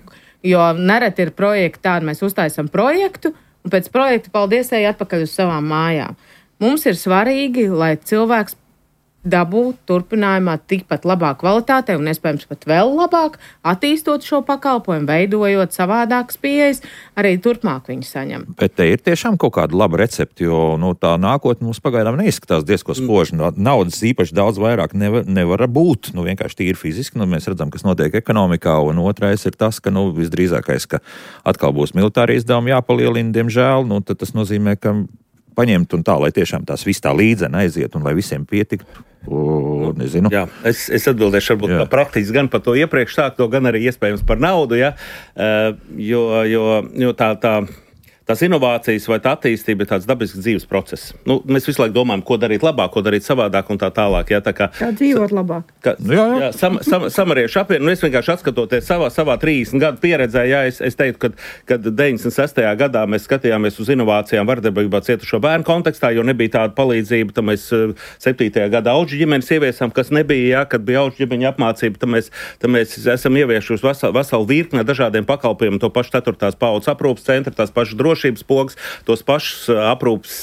Speaker 4: jo nereti ir projekti tādi, mēs uztaisam projektu, un pēc projekta paldies ej atpakaļ uz savām mājām. Mums ir svarīgi, lai cilvēks dabūt turpinājumā tikpat labā kvalitātē un iespējams pat vēl labāk, attīstot šo pakalpojumu, veidojot savādākas pieejas, arī turpmāk viņi saņem.
Speaker 1: Bet te ir tiešām kaut kāda laba recepte, jo nu, tā nākotne mums pagaidām neizskatās diezko spoži. Naudas īpaši daudz vairāk nevar, nevar būt, nu vienkārši tīri fiziski, nu mēs redzam, kas notiek ekonomikā, un otrais ir tas, ka nu visdrīzākais, ka atkal būs militāri izdevumi jāpalielina, diemžēl, nu tad tas nozīmē, ka paņemt un tā, lai tiešām tās viss tā līdzena aiziet un lai visiem pietiktu. O, nezinu.
Speaker 3: Jā, es, es atbildēšu varbūt jā. praktiski gan par to iepriekš sākto, gan arī iespējams par naudu, ja? uh, jo, jo, jo tā, tā, tās inovācijas vai tā attīstība ir tāds dabisks dzīves process. Nu, mēs visu laiku domājam, ko darīt labāk, ko darīt savādāk un tā tālāk. Ja? Tā kā,
Speaker 2: kā dzīvot labāk.
Speaker 3: Ka, jā, jā. Jā, sam, sam, samariešu apvienu, nu es vienkārši atskatoties savā, savā trīsdesmit gadu pieredzē, jā, es, es teiktu, kad, kad deviņdesmit sestajā gadā mēs skatījāmies uz inovācijām vardarbībā cietušo bērnu kontekstā, jo nebija tāda palīdzība, tad mēs septītajā gadā auģu ģimenes ieviesām, kas nebija, jā, kad bija auģu ģimeņa apmācība, tad mēs, tad mēs esam ieviesuši veselu, veselu virkni dažādiem pakalpojumiem, to pašu ceturtās paudzes aprūpas centru, tās pašas drošības pogas, tos pašus aprūpas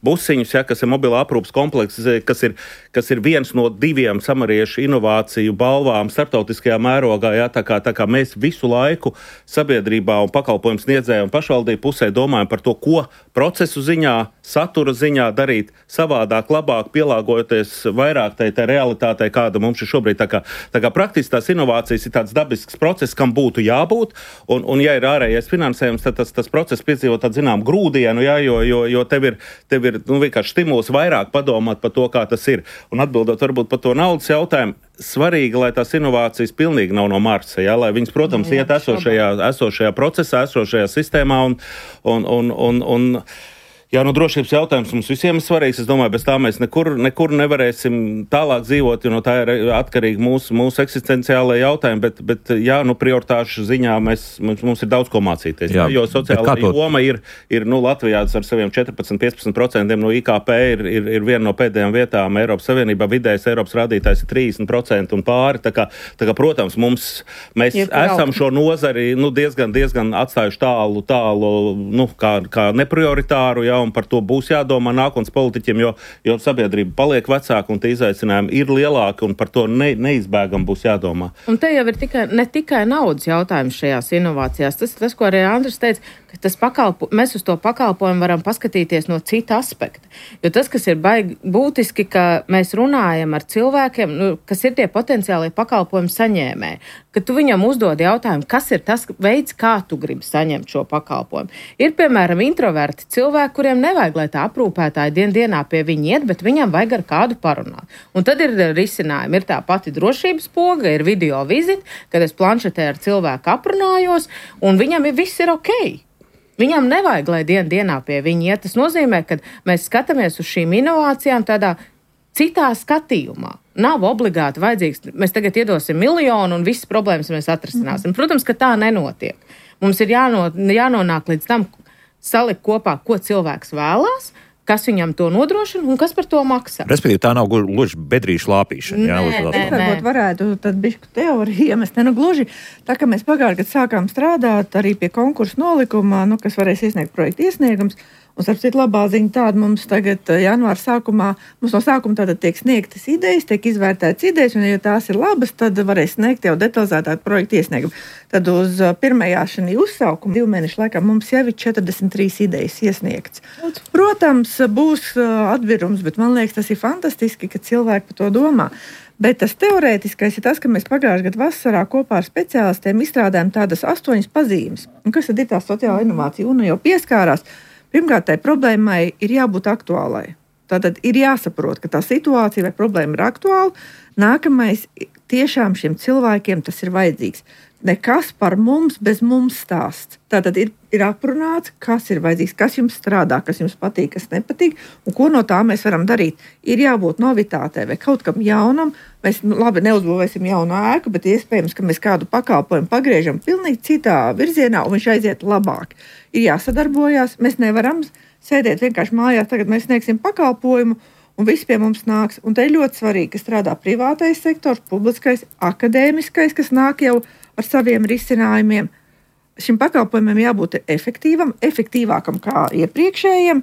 Speaker 3: busiņus, ja, kas ir mobilā aprūpas komplekss, kas ir, kas ir viens no diviem samariešu inovāciju balvām starptautiskajā mērogā. Ja, tā, kā, tā kā mēs visu laiku sabiedrībā un pakalpojumu sniedzēju un pašvaldību pusē domājam par to, ko procesu ziņā, satura ziņā darīt savādāk, labāk, pielāgojoties vairāk tai, tai realitātei, kāda mums ir šobrīd. Tā kā, tā kā praktiski tās inovācijas ir tāds dabisks process, kam būtu jābūt, un, un ja ir ārējais finansējums, tad tas, tas process piedzīvo tādu zinām grūdienu, ja, jo, jo, jo tev ir, tev ir nu, vienkārši stimuls vairāk padomāt par to, kā tas ir. Un atbildot varbūt par to naudas jautājumu, svarīgi, lai tās inovācijas pilnīgi nav no Marsa, ja, lai viņas, protams, jā, iet esošajā, esošajā procesā, esošajā sistēmā un, un, un, un, un Jā, nu drošības jautājums mums visiem ir svarīgs. Es domāju, bez tā mēs nekur, nekur nevarēsim tālāk dzīvot, jo no tā ir atkarīgi mūsu, mūsu eksistenciālajie jautājumi, bet, bet jā, nu prioritāšu ziņā mēs, mums, mums ir daudz ko mācīties. Jā, jo sociālā to... joma ir, ir nu, Latvijā ar saviem četrpadsmit līdz piecpadsmit procentiem no I K P ir, ir, ir viena no pēdējām vietām Eiropas Savienībā. Vidējais Eiropas rādītājs ir trīsdesmit procenti un pāri. Tā kā, tā kā protams, mums, mēs ir esam šo nozari nu, diezgan, diezgan atstājuši tālu, tālu nu, kā, kā neprioritāru, jā, un par to būs jādomā nākotnes politiķiem, jo, jo sabiedrība paliek vecāka un tie izaicinājumi ir lielāki un par to ne, neizbēgam būs jādomā.
Speaker 4: Un te jau ir tikai, ne tikai naudas jautājums šajās inovācijās. Tas ir tas, ko arī Andris teica, ka tas pakalpo, mēs uz to pakalpojumu varam paskatīties no cita aspekta. Jo tas, kas ir baigi būtiski, ka mēs runājam ar cilvēkiem, nu, kas ir tie potenciālie pakalpojumu saņēmēji, ka tu viņam uzdod jautājumu, kas ir tas veids, kā tu gribi saņemt šo pakalpojumu. Ir, piemēram, introverti cilvēki, kuriem nevajag, lai tā aprūpētāja dien dienā pie viņa iet, bet viņam vajag ar kādu parunāt. Un tad ir risinājumi. Ir tā pati drošības poga, ir video vizita, kad es planšetē ar cilvēku aprunājos, un viņam ir, viss ir ok. Viņam nevajag, lai dien dienā pie viņa iet. Tas nozīmē, ka mēs skatāmies uz šīm inovācijām tādā citā skatījumā. Nav obligāti vajadzīgs, mēs tagad iedosim miljonu un visas problēmas mēs atrisināsim. Protams, ka tā nenotiek. Mums ir jāno, jānonāk līdz tam salikt kopā, ko cilvēks vēlās, kas viņam to nodrošina un kas par to maksā.
Speaker 1: Respektīvi, tā nav gluži bedrīšu lāpīšana. Jā,
Speaker 4: nē, nē,
Speaker 2: nē. Varbūt varētu tad bišku teoriju iemest. Ne, nu gluži, tā kā mēs pagājušajā gadā sākām strādāt arī pie konkursu nolikumā, nu, kas varēs iesniegt projektu iesniegums. Un, starp citu, labā ziņa tāda mums tagad janvāra sākumā, mums no sākuma tātad tiek sniegtas idejas, tiek izvērtētas idejas, un, ja tās ir labas, tad varēs sniegt jau detalizētāk projektu iesniegumu. Tad uz pirmajā šī uzsaukuma divu mēnešu laikā mums jau ir četrdesmit trīs idejas iesniegts. Protams, būs atvirums, bet man liekas, tas ir fantastiski, ka cilvēki par to domā. Bet tas teorētiskais ir tas, ka mēs pagājušajā gadā vasarā kopā ar speciālistiem izstrādājam tādas astoņas pazīmes. Un kas tad ir tā sociāla inovācija? Un jau pieskārās. Pirmkārt, tai problēmai ir jābūt aktuālai. Tātad ir jāsaprot, ka tā situācija vai problēma ir aktuāla. Nākamais, tiešām šiem cilvēkiem tas ir vajadzīgs. Nekas par mums bez mums stāsts. Tātad ir, ir aprunāts, kas ir vajadzīgs, kas jums strādā, kas jums patīk, kas nepatīk, un ko no tā mēs varam darīt. Ir jābūt novitātei vai kaut kam jaunam. Mēs nu, labi neuzbūvēsim jaunu ēku, bet iespējams, ka mēs kādu pakalpojumu pagriežam pilnīgi citā virzienā, un viņš aiziet labāk. Ir jāsadarbojās, mēs nevaram sēdēt vienkārši mājās, tagad mēs sniegsim pakalpojumu, un viss pie mums nāks. Un te ir ļoti svarīgi, ka strādā privātais sektors, publiskais, akadēmiskais, kas nāk jau ar saviem risinājumiem. Šim pakalpojumam jābūt efektīvam, efektīvākam kā iepriekšējiem,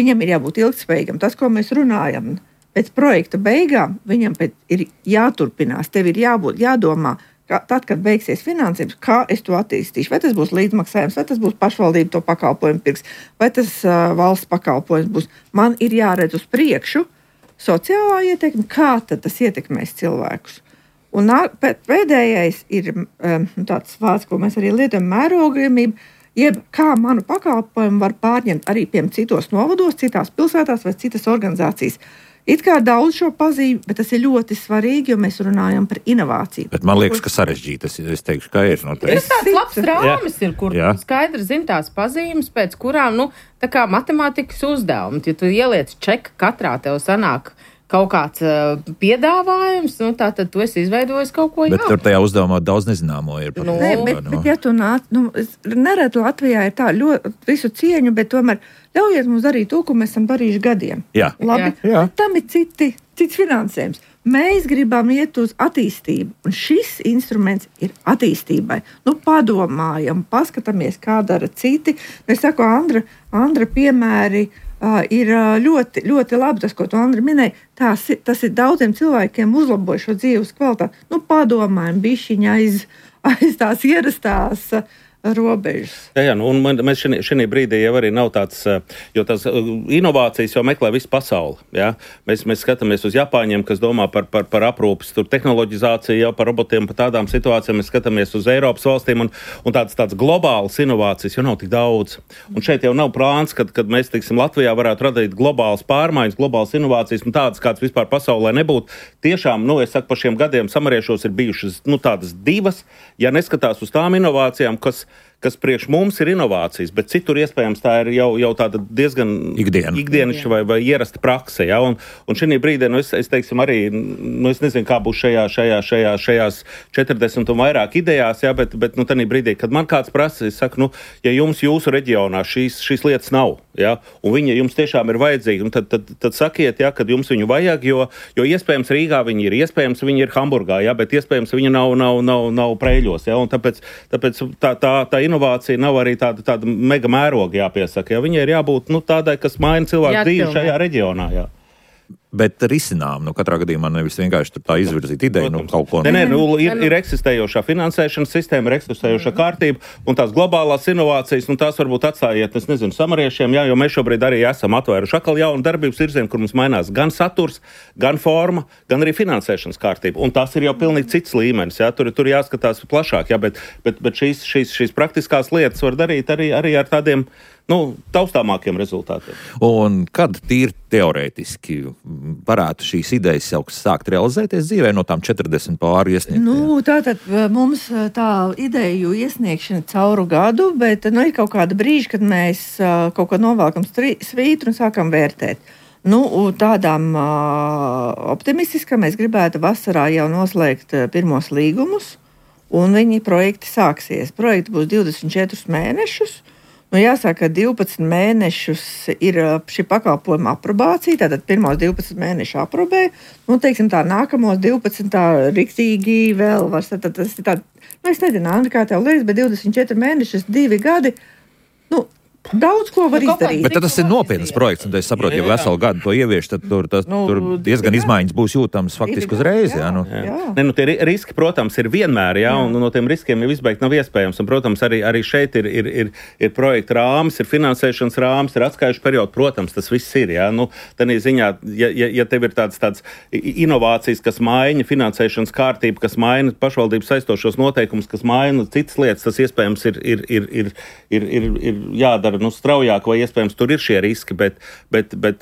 Speaker 2: viņam ir jābūt ilgtspējīgam. Tas, ko mēs runājam, pēc projekta beigām, viņam ir jāturpinās, tev ir jābūt, jādomā, ka tad, kad beigsies finansējums, kā es to attīstīšu. Vai tas būs līdzmaksājums, vai tas būs pašvaldība to pakalpojumu pirks, vai tas uh, valsts pakalpojums būs. Man ir jāredz uz priekšu sociālā ietekme, kā tad tas ietekmēs cilvēkus. Un pēdējais ir um, tāds vārds, ko mēs arī lietojam, mērogojamība, jeb kā manu pakalpojumu var pārņemt arī piem citos novados, citās pilsētās vai citas organizācijas. It kā daudz šo pazīmi, bet tas ir ļoti svarīgi, jo mēs runājam par inovāciju.
Speaker 1: Bet man liekas, ka sarežģīti, es, es teikšu, ka ir. Noteikti.
Speaker 4: Ir tāds labs rāmis, ir, kur Jā. skaidri zin tās pazīmes, pēc kurām, nu, tā kā matemātikas uzdevumi. Ja tu ieliec čeka, katrā tev sanāk kaut kāds uh, piedāvājums, nu, tā tad tu esi izveidojis kaut ko jaunu.
Speaker 1: Bet tur tajā uzdevumā daudz nezināmo ir.
Speaker 2: Nu, ne, bet, bet, ja tu nāc, nu, nereti Latvijā ir tā ļoti visu cieņu, bet tomēr ļaujiet mums darīt to, ko mēs esam darījuši gadiem.
Speaker 1: Jā.
Speaker 2: Labi,
Speaker 1: Jā.
Speaker 2: Tam ir citi, cits finansējums. Mēs gribam iet uz attīstību, un šis instruments ir attīstībai. Nu, padomājam, paskatāmies, kā dara citi. Es saku, Andra, Andra piemēri uh, ir ļoti, ļoti labi, tas, ko tu, Andra, minēji. Tās, tas ir daudziem cilvēkiem uzlaboja šo dzīves kvalitāti. Nu, padomājam, bišķiņa aiz, aiz tās ierastās uh, robežas.
Speaker 3: Jā, jā, nu, un man, mēs šī, šī brīdī jau arī nav tāds, jo tās inovācijas jau meklē visu pasauli. Ja? Mēs, mēs skatāmies uz Japāņiem, kas domā par, par, par aprūpes, tur tehnoloģizāciju, jau par robotiem, par tādām situācijām. Mēs skatāmies uz Eiropas valstīm, un, un tāds, tāds globāls inovācijas jau nav tik daudz. Un šeit jau nav plāns, kad, kad mēs, teiksim, Latvijā varētu radīt globālas pārmaiņas, globālas inovācijas, un tādas, kāds vispār pasaulē nebūtu. Tiešām, nu, es saku, par šiem gadiem samariešos ir bijušas, nu, tādas divas, ja neskatās uz tām inovācijām, kas kas priekš mums ir inovācijas, bet citur iespējams tā ir jau, jau tāda diezgan
Speaker 1: Ikdiena.
Speaker 3: ikdienišķa vai, vai ierasta prakse. Ja? Un, un šī brīdī, nu es, es teiksim arī, nu es nezinu, kā būs šajā, šajā, šajā, šajās četrdesmit un vairāk idejās, ja? bet, bet nu tanī brīdī, kad man kāds prasa, es saku, nu, ja jums jūsu reģionā šīs, šīs lietas nav, ja? Un viņa jums tiešām ir vajadzīga, tad, tad, tad sakiet, ja, kad jums viņu vajag, jo, jo iespējams Rīgā viņi ir, iespējams viņi ir Hamburgā, ja? Bet iespējams viņa nav, nav, nav, nav Preļos, ja? Un tāpēc, tāpēc tā, tā, tā inovācija nav arī tāda, tāda mega mēroga jāpiesaka. Ja? Viņai ir jābūt nu, tādai, kas maina cilvēku dzīvi šajā reģionā. Jā.
Speaker 1: Bet risinām, nu katrā gadījumā nevis vienkārši tur tā izvirzīt ideju, nu kaut ko.
Speaker 3: Nē, nē, nu, ir, ir eksistējošā finansēšanas sistēma, ir eksistējoša kārtība, un tās globālās inovācijas, nu tās varbūt atstājiet, es nezinu, samariešiem, jā, jo mēs šobrīd arī esam atvēruši atkal jaunu darbības virzienu, kur mums mainās gan saturs, gan forma, gan arī finansēšanas kārtība. Un tas ir jau pilnīgi cits līmenis, jā, tur, tur jāskatās plašāk, jā, bet, bet, bet šīs, šīs, šīs praktiskās lietas var darīt arī, arī ar tādiem, nu, taustāmākiem rezultātiem.
Speaker 1: Un kad tīri teorētiski varētu šīs idejas jau sākt realizēties dzīvē no tām četrdesmit pāri iesniegtajām?
Speaker 2: Nu, tātad mums tā ideju iesniegšana cauru gadu, bet nu, ir kaut kāda brīža, kad mēs kaut ko novelkam svītru un sākam vērtēt. Nu, tādām uh, optimistiskām mēs gribētu vasarā jau noslēgt pirmos līgumus, un viņi projekti sāksies. Projekti būs divdesmit četrus mēnešus. Nu, jāsaka, ka divpadsmit mēnešus ir šī pakalpojuma aprobācija, tātad pirmos divpadsmit mēnešu aprobē, nu, teiksim tā, nākamos divpadsmit tā riktīgi vēl var, tad tas ir tā, nu, es nezinu, Andri, kā tev liekas, bet divdesmit četri mēnešus, divi gadi, nu, daudz ko var nu, izdarīt.
Speaker 1: Bet tas ir nopietnas projekts, un es saprotu, ja veselu gadu to ievieš, tad tur, tas, nu, tur diezgan jā. izmaiņas būs jūtams faktiski uzreiz. Jā, jā, nu.
Speaker 3: jā. Ne, nu, tie riski, protams, ir vienmēr, jā, un no tiem riskiem jau izbeigt nav iespējams. Un, protams, arī, arī šeit ir, ir, ir, ir projekta rāmis, ir finansēšanas rāmis, ir atskaišu periodu. Protams, tas viss ir. Jā. Nu, tādā ziņā, ja, ja, ja tev ir tāds, tāds inovācijas, kas maina finansēšanas kārtību, kas maina pašvaldības saistošos noteikumus, kas maina citas lietas, tas iespējams ir, ir, ir, ir, ir, ir, ir jādara nu, straujāk, vai iespējams tur ir šie riski, bet, bet, bet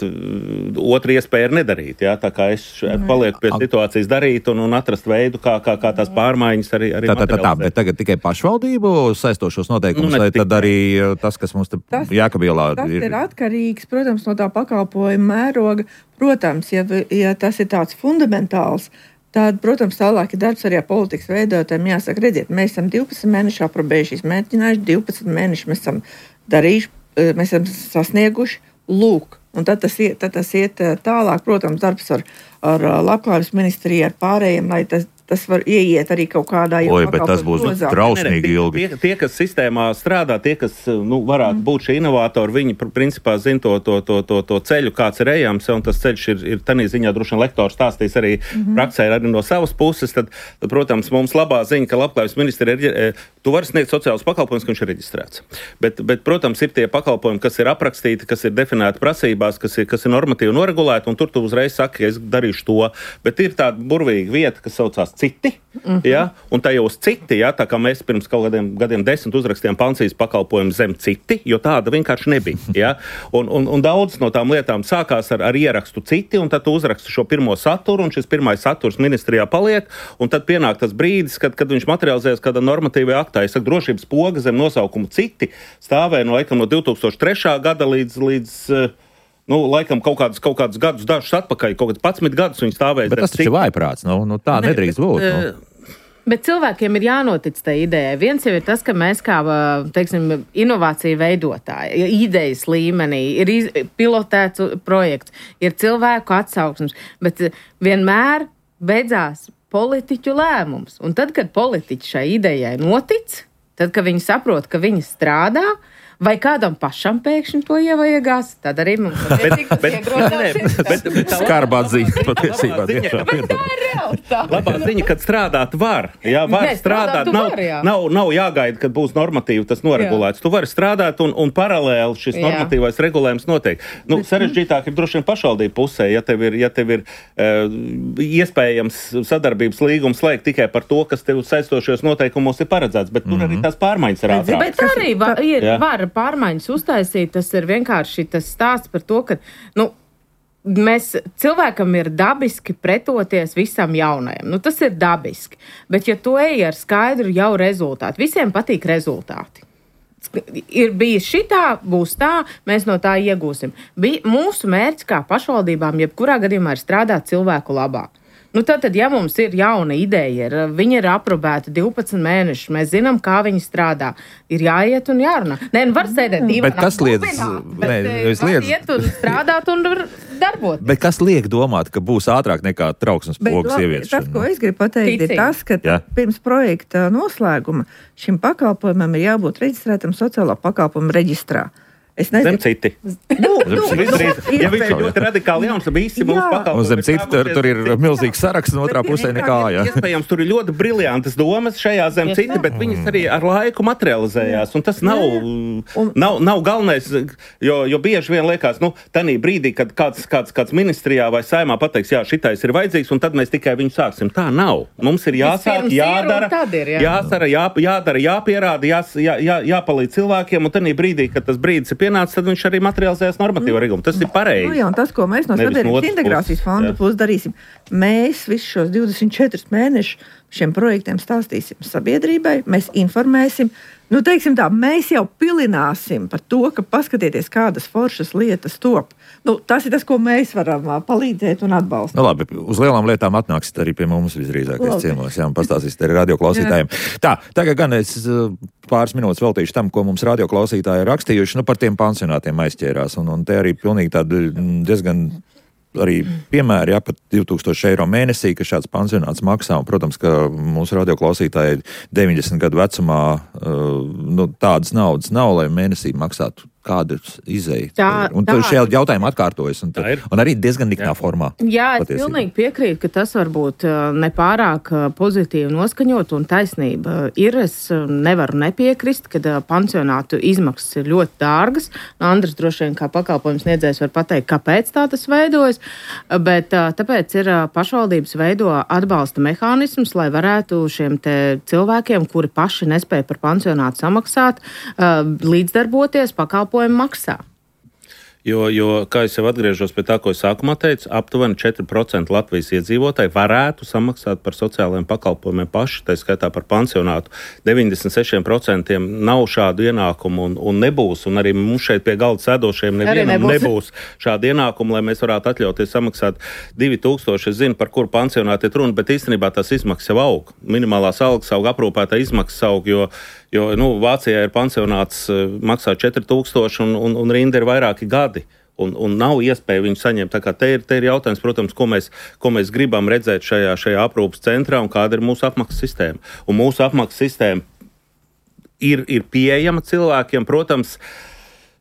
Speaker 3: otra iespēja ir nedarīt. Jā? Tā kā es palieku pie situācijas darīt un, un atrast veidu, kā, kā, kā tās pārmaiņas arī, arī
Speaker 1: tā, tā, tā, tā, bet tagad tikai pašvaldību saistošos noteikumus, nu, vai tad arī tas, kas mums te Jēkabielā ir?
Speaker 2: Tas ir atkarīgs, protams, no tā pakalpojuma mēroga. Protams, ja, ja tas ir tāds fundamentāls, tad, protams, tālāk ir darbs arī ar politikas veidotājiem. Jāsaka, redziet, mēs esam divpadsmit mēneši aprobējuši, izmēģinājuši, divpadsmit mēneši mēs esam darījuši, mēs esam sasnieguši, lūk. Un tad tas iet, tad tas iet tālāk, protams, darbs ar, ar Labklājības ministriju, ar pārējiem, lai tas, tas var ieiet arī kaut kādā
Speaker 1: jau Oi, bet tas būs trausmīgi ilgi.
Speaker 3: Tie, tie, kas sistēmā strādā, tie, kas nu, varētu mm. būt šie inovatori, viņi principā zina to, to, to, to, to ceļu, kāds ir ejams, un tas ceļš ir, ir tanī ziņā droši vien lektors stāstīs arī mm-hmm. praksē arī no savas puses. Tad, tad, protams, mums labā ziņa, ka Labklājības ministrija ir, tu vari sniegt sociālus pakalpojumus, ka viņš ir reģistrēts. Bet, bet, protams, ir tie pakalpojumi, kas ir aprakstīti, kas ir definēti prasībās, kas ir, kas ir normatīvi noregulēti, un tur tu uzreiz saki, ka es darīšu to. Bet ir tāda burvīga vieta, kas saucās citi, mm-hmm. ja? Un tajos citi, ja? Tā kā mēs pirms kaut kādiem gadiem desmit uzrakstījām Pancijas pakalpojumu zem citi, jo tāda vienkārši nebija. Ja? Un, un, un daudz no tām lietām sākās ar, ar ierakstu citi, un tad tu uzraksti šo pirmo saturu, un šis pirmais saturs ministrijā paliek, un tad pienāk tas brīdis, kad, kad viņš materializējas kādā normatīvajā aktā. Es saku, drošības poga zem nosaukumu citi stāvēja no, laikam, no divi tūkstoši trešā gada līdz, līdz nu, laikam kaut kādus, kaut kādus gadus dažus atpakaļ, kaut kāds padsmit gadus viņi stāvēja.
Speaker 1: Bet tas taču ir vājprāts, nu, nu tā ne, nedrīkst būt. Nu.
Speaker 4: Bet cilvēkiem ir jānotic tai idejai. Viens jau ir tas, ka mēs kā, teiksim, inovāciju veidotāji, idejas līmenī, ir iz, pilotēts projekts, ir cilvēku atsauksmes, bet vienmēr beidzās politiķu lēmums. Un tad, kad politiķi šai idejai notic, tad, kad viņi saprot, ka viņi strādā, vai kādam pašam pēkšņi to ievajagās, tad arī mums
Speaker 1: ir skarbā ziņa patiesībā.
Speaker 4: Bet tā ir realitāte.
Speaker 3: Labā ziņa, kad strādāt var. Jā, var ne, strādāt, nav, var, jā. nav, nav jāgaida, kad būs normatīvi tas noregulēts. Jā. Tu vari strādāt un, un paralēli šis jā. normatīvais regulējums notiek. Nu, sarežģītāk ir droši vien pašvaldību pusē, ja tev ir, ja tev ir uh, iespējams sadarbības līgums slēgt tikai par to, kas tev saistošajos noteikumos ir paredzēts, bet tur mm-hmm. arī tās pārmaiņas ir ātrāk. Bet
Speaker 4: arī va, ir, var pārmaiņas uztaisīt, tas ir vienkārši tas stāsts par to, ka, nu, mēs, cilvēkam ir dabiski pretoties visam jaunajam. Nu, tas ir dabiski. Bet, ja tu ej ar skaidru jau rezultātu, visiem patīk rezultāti. ir bijis šitā, būs tā, mēs no tā iegūsim. Bija mūsu mērķis kā pašvaldībām, jebkurā gadījumā ir strādāt cilvēku labā. Nu, tad, tad, ja mums ir jauna ideja, ir, viņa ir aprobēta divpadsmit mēnešus, mēs zinām, kā viņi strādā, ir jāiet un jārunā. Nē, nu var sēdēt divā.
Speaker 1: Bet kas liedz?
Speaker 4: Bet var iet un strādāt un darboties.
Speaker 1: Bet kas liek domāt, ka būs ātrāk nekā trauksmes pogas ieviešana?
Speaker 2: Tas, ko es gribu pateikt, Ticīgi. ir tas, ka Jā. pirms projekta noslēguma šim pakalpojumam ir jābūt reģistrētam sociālā pakalpojuma reģistrā.
Speaker 3: Zem citi. Nu, nu, ja viņš ir ļoti radikāli jauns, tad visi mūsu pakalpojumi.
Speaker 1: Un zem citi tur, tur ir milzīgs saraksts, un otrā pusē nekā. Jā.
Speaker 3: Iespējams, tur ir ļoti briljantas domas šajā zem citi, bet viņas arī ar laiku materializējās. Un tas nav, nav, nav galvenais, jo, jo bieži vien liekas, nu, tanī brīdī, kad kāds, kāds, kāds ministrijā vai saimā pateiks, jā, šitais ir vajadzīgs, un tad mēs tikai viņu sāksim. Tā nav. Mums ir jāsāk, jādara, ir, jā. jāsara, jā, jādara, jāpierāda, jās, jā, jā, jāpalīdz cilvēkiem, un tanī brīdī, kad tas brīdis ir pienācis, tad viņš arī materializējas normatīvo regulmu. Tas ir pareizi.
Speaker 2: Nu, jā, un tas, ko mēs no Sabiedrības integrācijas fonda puses darīsim, mēs visus šos divdesmit četrus mēnešus šiem projektiem stāstīsim sabiedrībai, mēs informēsim. Nu, teiksim tā, mēs jau pilināsim par to, ka paskatieties, kādas foršas lietas top. Nu, tas ir tas, ko mēs varam palīdzēt un atbalstīt.
Speaker 1: Nu, labi, uz lielām lietām atnāksiet arī pie mums visdrīzākais ciemos, jā, un pastāstīsiet arī radioklausītājiem. Tā, tagad gan es pāris minūtes veltīšu tam, ko mums radioklausītāji ir rakstījuši, nu, par tiem pansionātiem aizķērās, un, un te arī pilnīgi tādi diezgan arī piemēri, jā, pat divi tūkstoši eiro mēnesī, ka šāds pansionāts maksā, un, protams, ka mūsu radioklausītāji deviņdesmit gadu vecumā uh, nu, tādas naudas nav, lai mēnesī maksātu kādas izēja. Tā, un tā šie jautājumi atkārtojas, un, tā, un arī diezgan niknā formā.
Speaker 4: Jā, es patiesībā. pilnīgi piekrītu, ka tas varbūt nepārāk pozitīvi noskaņot un taisnība ir. Es nevaru nepiekrist, kad pansionātu izmaksas ir ļoti dārgas. Andris droši vien kā pakalpojums sniedzējs var pateikt, kāpēc tā tas veidojas, bet tāpēc ir pašvaldības veido atbalsta mehānismus, lai varētu šiem te cilvēkiem, kuri paši nespēja par pansionātu samaksāt, līdzdarboties pakalpojumu maksā.
Speaker 3: Jo, jo, kā es jau atgriežos pie tā, ko es sākumā teicu, aptuveni četri procenti Latvijas iedzīvotāji varētu samaksāt par sociālajiem pakalpojumiem paši, tā skaitā par pansionātu. deviņdesmit seši procenti nav šādu ienākumu un, un nebūs, un arī mums šeit pie galda sēdošiem nevienam nebūs. nebūs šādu ienākumu, lai mēs varētu atļauties samaksāt divi tūkstoši. Es zinu, par kuru pansionātu ir runa, bet īstenībā tās izmaksas jau aug. Minimālās algas aug, aprūpētā izmaksas aug, jo Jo, nu, Vācijā ir pansionāts, maksā četri tūkstoši un, un, un rinda ir vairāki gadi. Un, un nav iespēja viņu saņemt. Tā kā te ir, te ir jautājums, protams, ko mēs, ko mēs gribam redzēt šajā, šajā aprūpas centrā un kāda ir mūsu apmaksas sistēma. Un mūsu apmaksas sistēma ir, ir pieejama cilvēkiem, protams,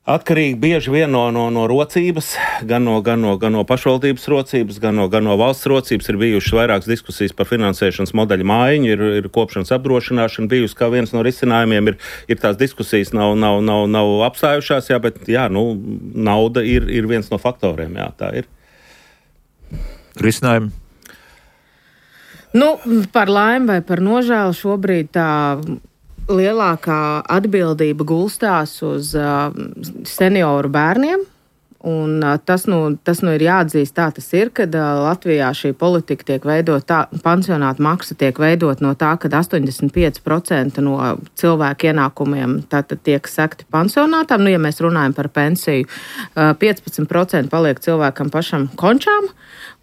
Speaker 3: atkarīgi bieži vien no, no, no rocības, gan no, gan, no, gan no pašvaldības rocības, gan no, gan no valsts rocības. Ir bijušas vairākas diskusijas par finansēšanas modeļu mājiņu, ir, ir kopšanas apdrošināšana bijusi kā viens no risinājumiem. Ir, ir tās diskusijas nav, nav, nav, nav apstājušās, jā, bet jā, nu, nauda ir, ir viens no faktoriem, jā, tā ir.
Speaker 1: Risinājumi?
Speaker 4: Nu, par laimi vai par nožēlu šobrīd tā lielākā atbildība gulstās uz uh, senioru bērniem, un uh, tas, nu, tas nu ir jāatzīst, tā tas ir, kad uh, Latvijā šī politika tiek veidot, tā, pansionāta maksa tiek veidot no tā, kad astoņdesmit pieci procenti no cilvēku ienākumiem tātad tiek sekti pansionātām. Nu, ja mēs runājam par pensiju, uh, piecpadsmit procenti paliek cilvēkam pašam končām,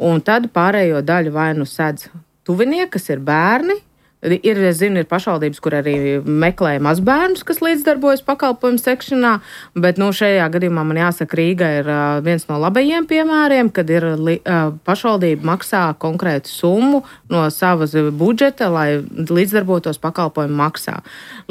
Speaker 4: un tad pārējo daļu vai nu sedz tuvinieki, kas ir bērni. Ir, es zinu, ir pašvaldības, kur arī meklē mazbērnus, kas līdzdarbojas pakalpojumu sekšanā, bet nu, šajā gadījumā man jāsaka, Rīga ir uh, viens no labajiem piemēriem, kad ir li, uh, pašvaldība maksā konkrētu summu no savas budžeta, lai līdzdarbotos pakalpojumu maksā.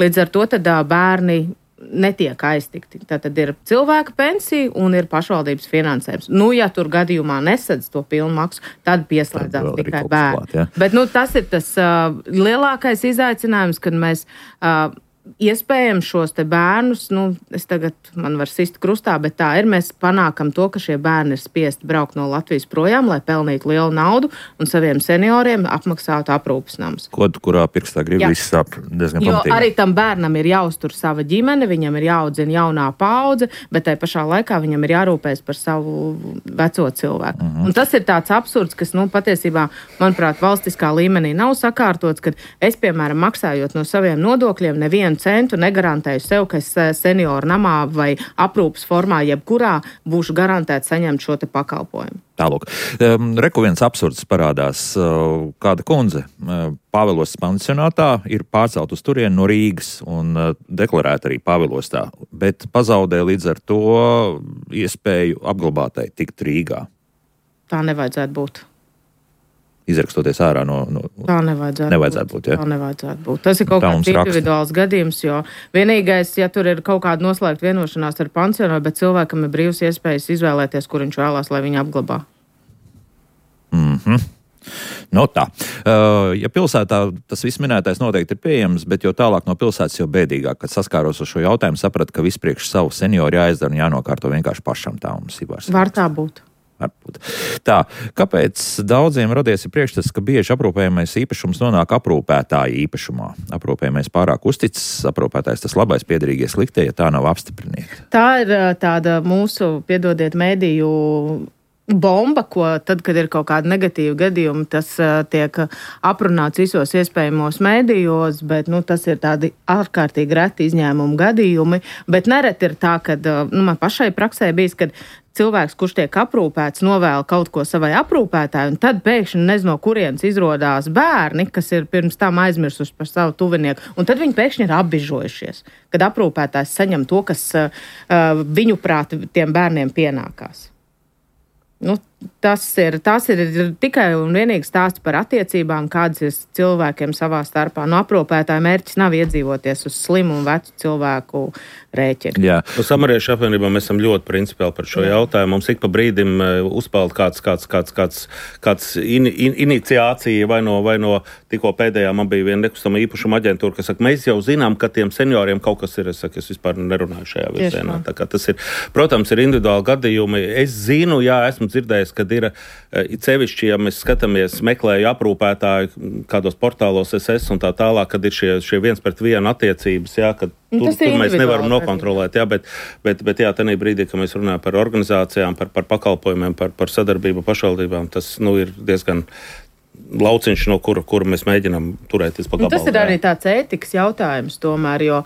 Speaker 4: Līdz ar to tad uh, bērni netiek aiztikti. Tātad ir cilvēka pensija un ir pašvaldības finansējums. Nu, ja tur gadījumā nesadz to pilnu maksu, tad pieslēdzās tad tikai bērni. Klāt, ja? Bet nu, tas ir tas uh, lielākais izaicinājums, kad mēs uh, iespējams šos te bērnus, nu, es tagad man var sist krustā, bet tā ir, mēs panākam to, ka šie bērni ir spiesti braukt no Latvijas projām, lai pelnītu lielu naudu un saviem senioriem apmaksātu aprūpes namus.
Speaker 1: Kod, kurā pirkstā grib viss sāp diezgan
Speaker 4: jo
Speaker 1: pamatīgi.
Speaker 4: Arī tam bērnam ir jāuztur sava ģimene, viņam ir jāaudzina jaunā paudze, bet tai pašā laikā viņam ir jārūpējas par savu veco cilvēku. Uh-huh. Un tas ir tāds absurds, kas, nu, patiesībā, manuprāt, valstiskā līmenī nav sakārtots, kad es, piemēram, maksājot no saviem nodokļiem, nevienu nevienu centu negarantēju sev, ka es senioru namā vai aprūpas formā jebkurā būšu garantēts saņemt šo te pakalpojumu.
Speaker 1: Tālūk. Um, Reku viens absurds parādās. Uh, kāda kundze uh, Pāvilostas pansionātā ir pārcelt uz turieni no Rīgas un uh, deklarēta arī Pāvilostā, bet pazaudē līdz ar to iespēju apglabātai tikt Rīgā.
Speaker 4: Tā nevajadzētu būt.
Speaker 1: Izrakstoties ārā no... no
Speaker 4: tā nevajadzētu,
Speaker 1: nevajadzētu būt. būt ja?
Speaker 4: Tā nevajadzētu būt. Tas ir kaut kāds individuāls raksta. gadījums, jo vienīgais, ja tur ir kaut kāda noslēgta vienošanās ar pansionāru, bet cilvēkam ir brīvs iespējas izvēlēties, kur viņš vēlās, lai viņu apglabā.
Speaker 1: Mhm. No tā. Uh, ja pilsētā tas viss minētais noteikti ir pieejams, bet jo tālāk no pilsētas, jo bēdīgāk, kad saskāros ar šo jautājumu, sapratu, ka vispriekš savu senioru jāizdara un jānokārto vienkārši pašam tā mums ir vairs.
Speaker 4: Var tā būt.
Speaker 1: Tā, kāpēc daudziem radies ir priekšstats, ka bieži aprūpējamais īpašums nonāk aprūpētāja īpašumā? Aprūpējamais pārāk uzticis, aprūpētājs tas labais, piederīgie sliktie, ja tā nav apstiprināta.
Speaker 4: Tā ir tāda mūsu, piedodiet, mēdīju bomba, ko tad, kad ir kaut kāda negatīva gadījuma, tas uh, tiek aprunāts visos iespējamos mēdījos, bet nu, tas ir tādi ārkārtīgi reti izņēmumu gadījumi. Bet nereti ir tā, ka uh, nu, man pašai praksē bijis, kad cilvēks, kurš tiek aprūpēts, novēl kaut ko savai aprūpētāji, un tad pēkšņi nezinu, no kurienes izrodās bērni, kas ir pirms tam aizmirsuši par savu tuvinieku, un tad viņi pēkšņi ir apbižojušies, kad aprūpētājs saņem to, kas uh, viņu prāt tiem bērniem pienākās. Nu, tas ir, tas ir tikai un vienīgi stāsts par attiecībām, kādas ir cilvēkiem savā starpā. No aprūpētāja mērķis nav iedzīvoties uz slimu un vecu cilvēku rēķinu.
Speaker 3: Jā, no Samariešu apvienībā mēs esam ļoti principiāli par šo jautājumu. Mums ik pa brīdim uzpeld kāds, kāds, kāds, kāds, kāds in, in, iniciācija vai no, vai no tikko pēdējā man bija viena nekustama īpašuma aģentūra, kas saka, mēs jau zinām, ka tiem senioriem kaut kas ir, es saku, es vispār nerunāju šajā virzienā. Tā kā tas ir, protams, ir individuāli gadījumi. Es zinu, jā, esmu dzirdējis, kad ir cevišķi, ja mēs skatāmies, meklēju aprūpētāju kādos portālos es esmu un tā tālāk, kad ir šie, šie viens pret vienu attiecības, jā, kad tur, tur mēs nevaram nokontrolēt, jā, bet, bet, bet jā, tenī brīdī, kad mēs runājam par organizācijām, par, par pakalpojumiem, par, par sadarbību pašvaldībām, tas, nu, ir diezgan lauciņš, no kura, kura mēs mēģinām turēties pa gabalu.
Speaker 4: Tas ir arī tāds ētikas jautājums tomēr, jo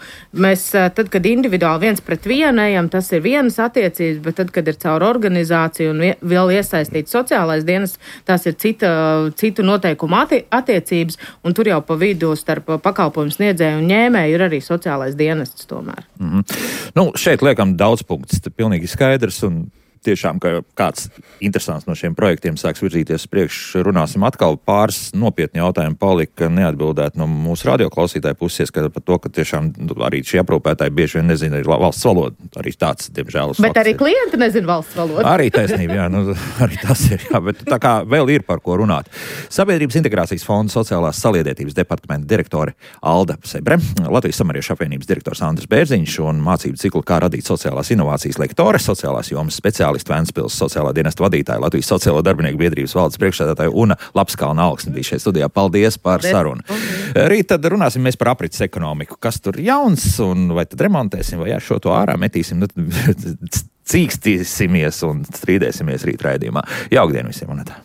Speaker 4: mēs tad, kad individuāli viens pret vienu ejam, tas ir vienas attiecības, bet tad, kad ir caur organizāciju un vēl iesaistīts sociālais dienas, tās ir cita, citu noteikumu atti- attiecības, un tur jau pa vidu starp pakalpojumu sniedzēju un ņēmēju ir arī sociālais dienests tomēr.
Speaker 1: Mm-hmm. Nu, šeit liekam daudz punktus, pilnīgi skaidrs, un tiešām, ka kāds interesants no šiem projektiem sāks virzīties priekš, runāsim atkal. Pāris nopietni jautājumi palika neatbildēt no mūsu radioklausītāju puses, ka par to, ka tiešām arī šie aprūpētāji bieži vien nezina arī valsts valodu. Arī tāds, diemžēl,
Speaker 4: bet arī klienti nezina valsts valodu.
Speaker 1: Arī taisnība, jā, nu, arī tas ir, jā, bet tā kā vēl ir par ko runāt. Sabiedrības integrācijas fonda sociālās saliedētības departamenta direktore Alda Sebre, Latvijas Samariešu apvienības direktors Andris Bērziņš un mācību ciklu Kā radīt sociālās inovācijas lektore, sociālās jomas speciālisti Ventspils sociālā dienesta vadītāja, Latvijas sociālo darbinieku biedrības valdes priekšsēdētāja Una Lapskalna Alksne bija šeit studijā. Paldies par sarunu. Rīt tad runāsim mēs par aprits ekonomiku. Kas tur jauns un vai tad remontēsim vai jā, šo to ārā metīsim, nu, cīkstīsimies un strīdēsimies rīt raidījumā. Jaukdien visiem, un tā.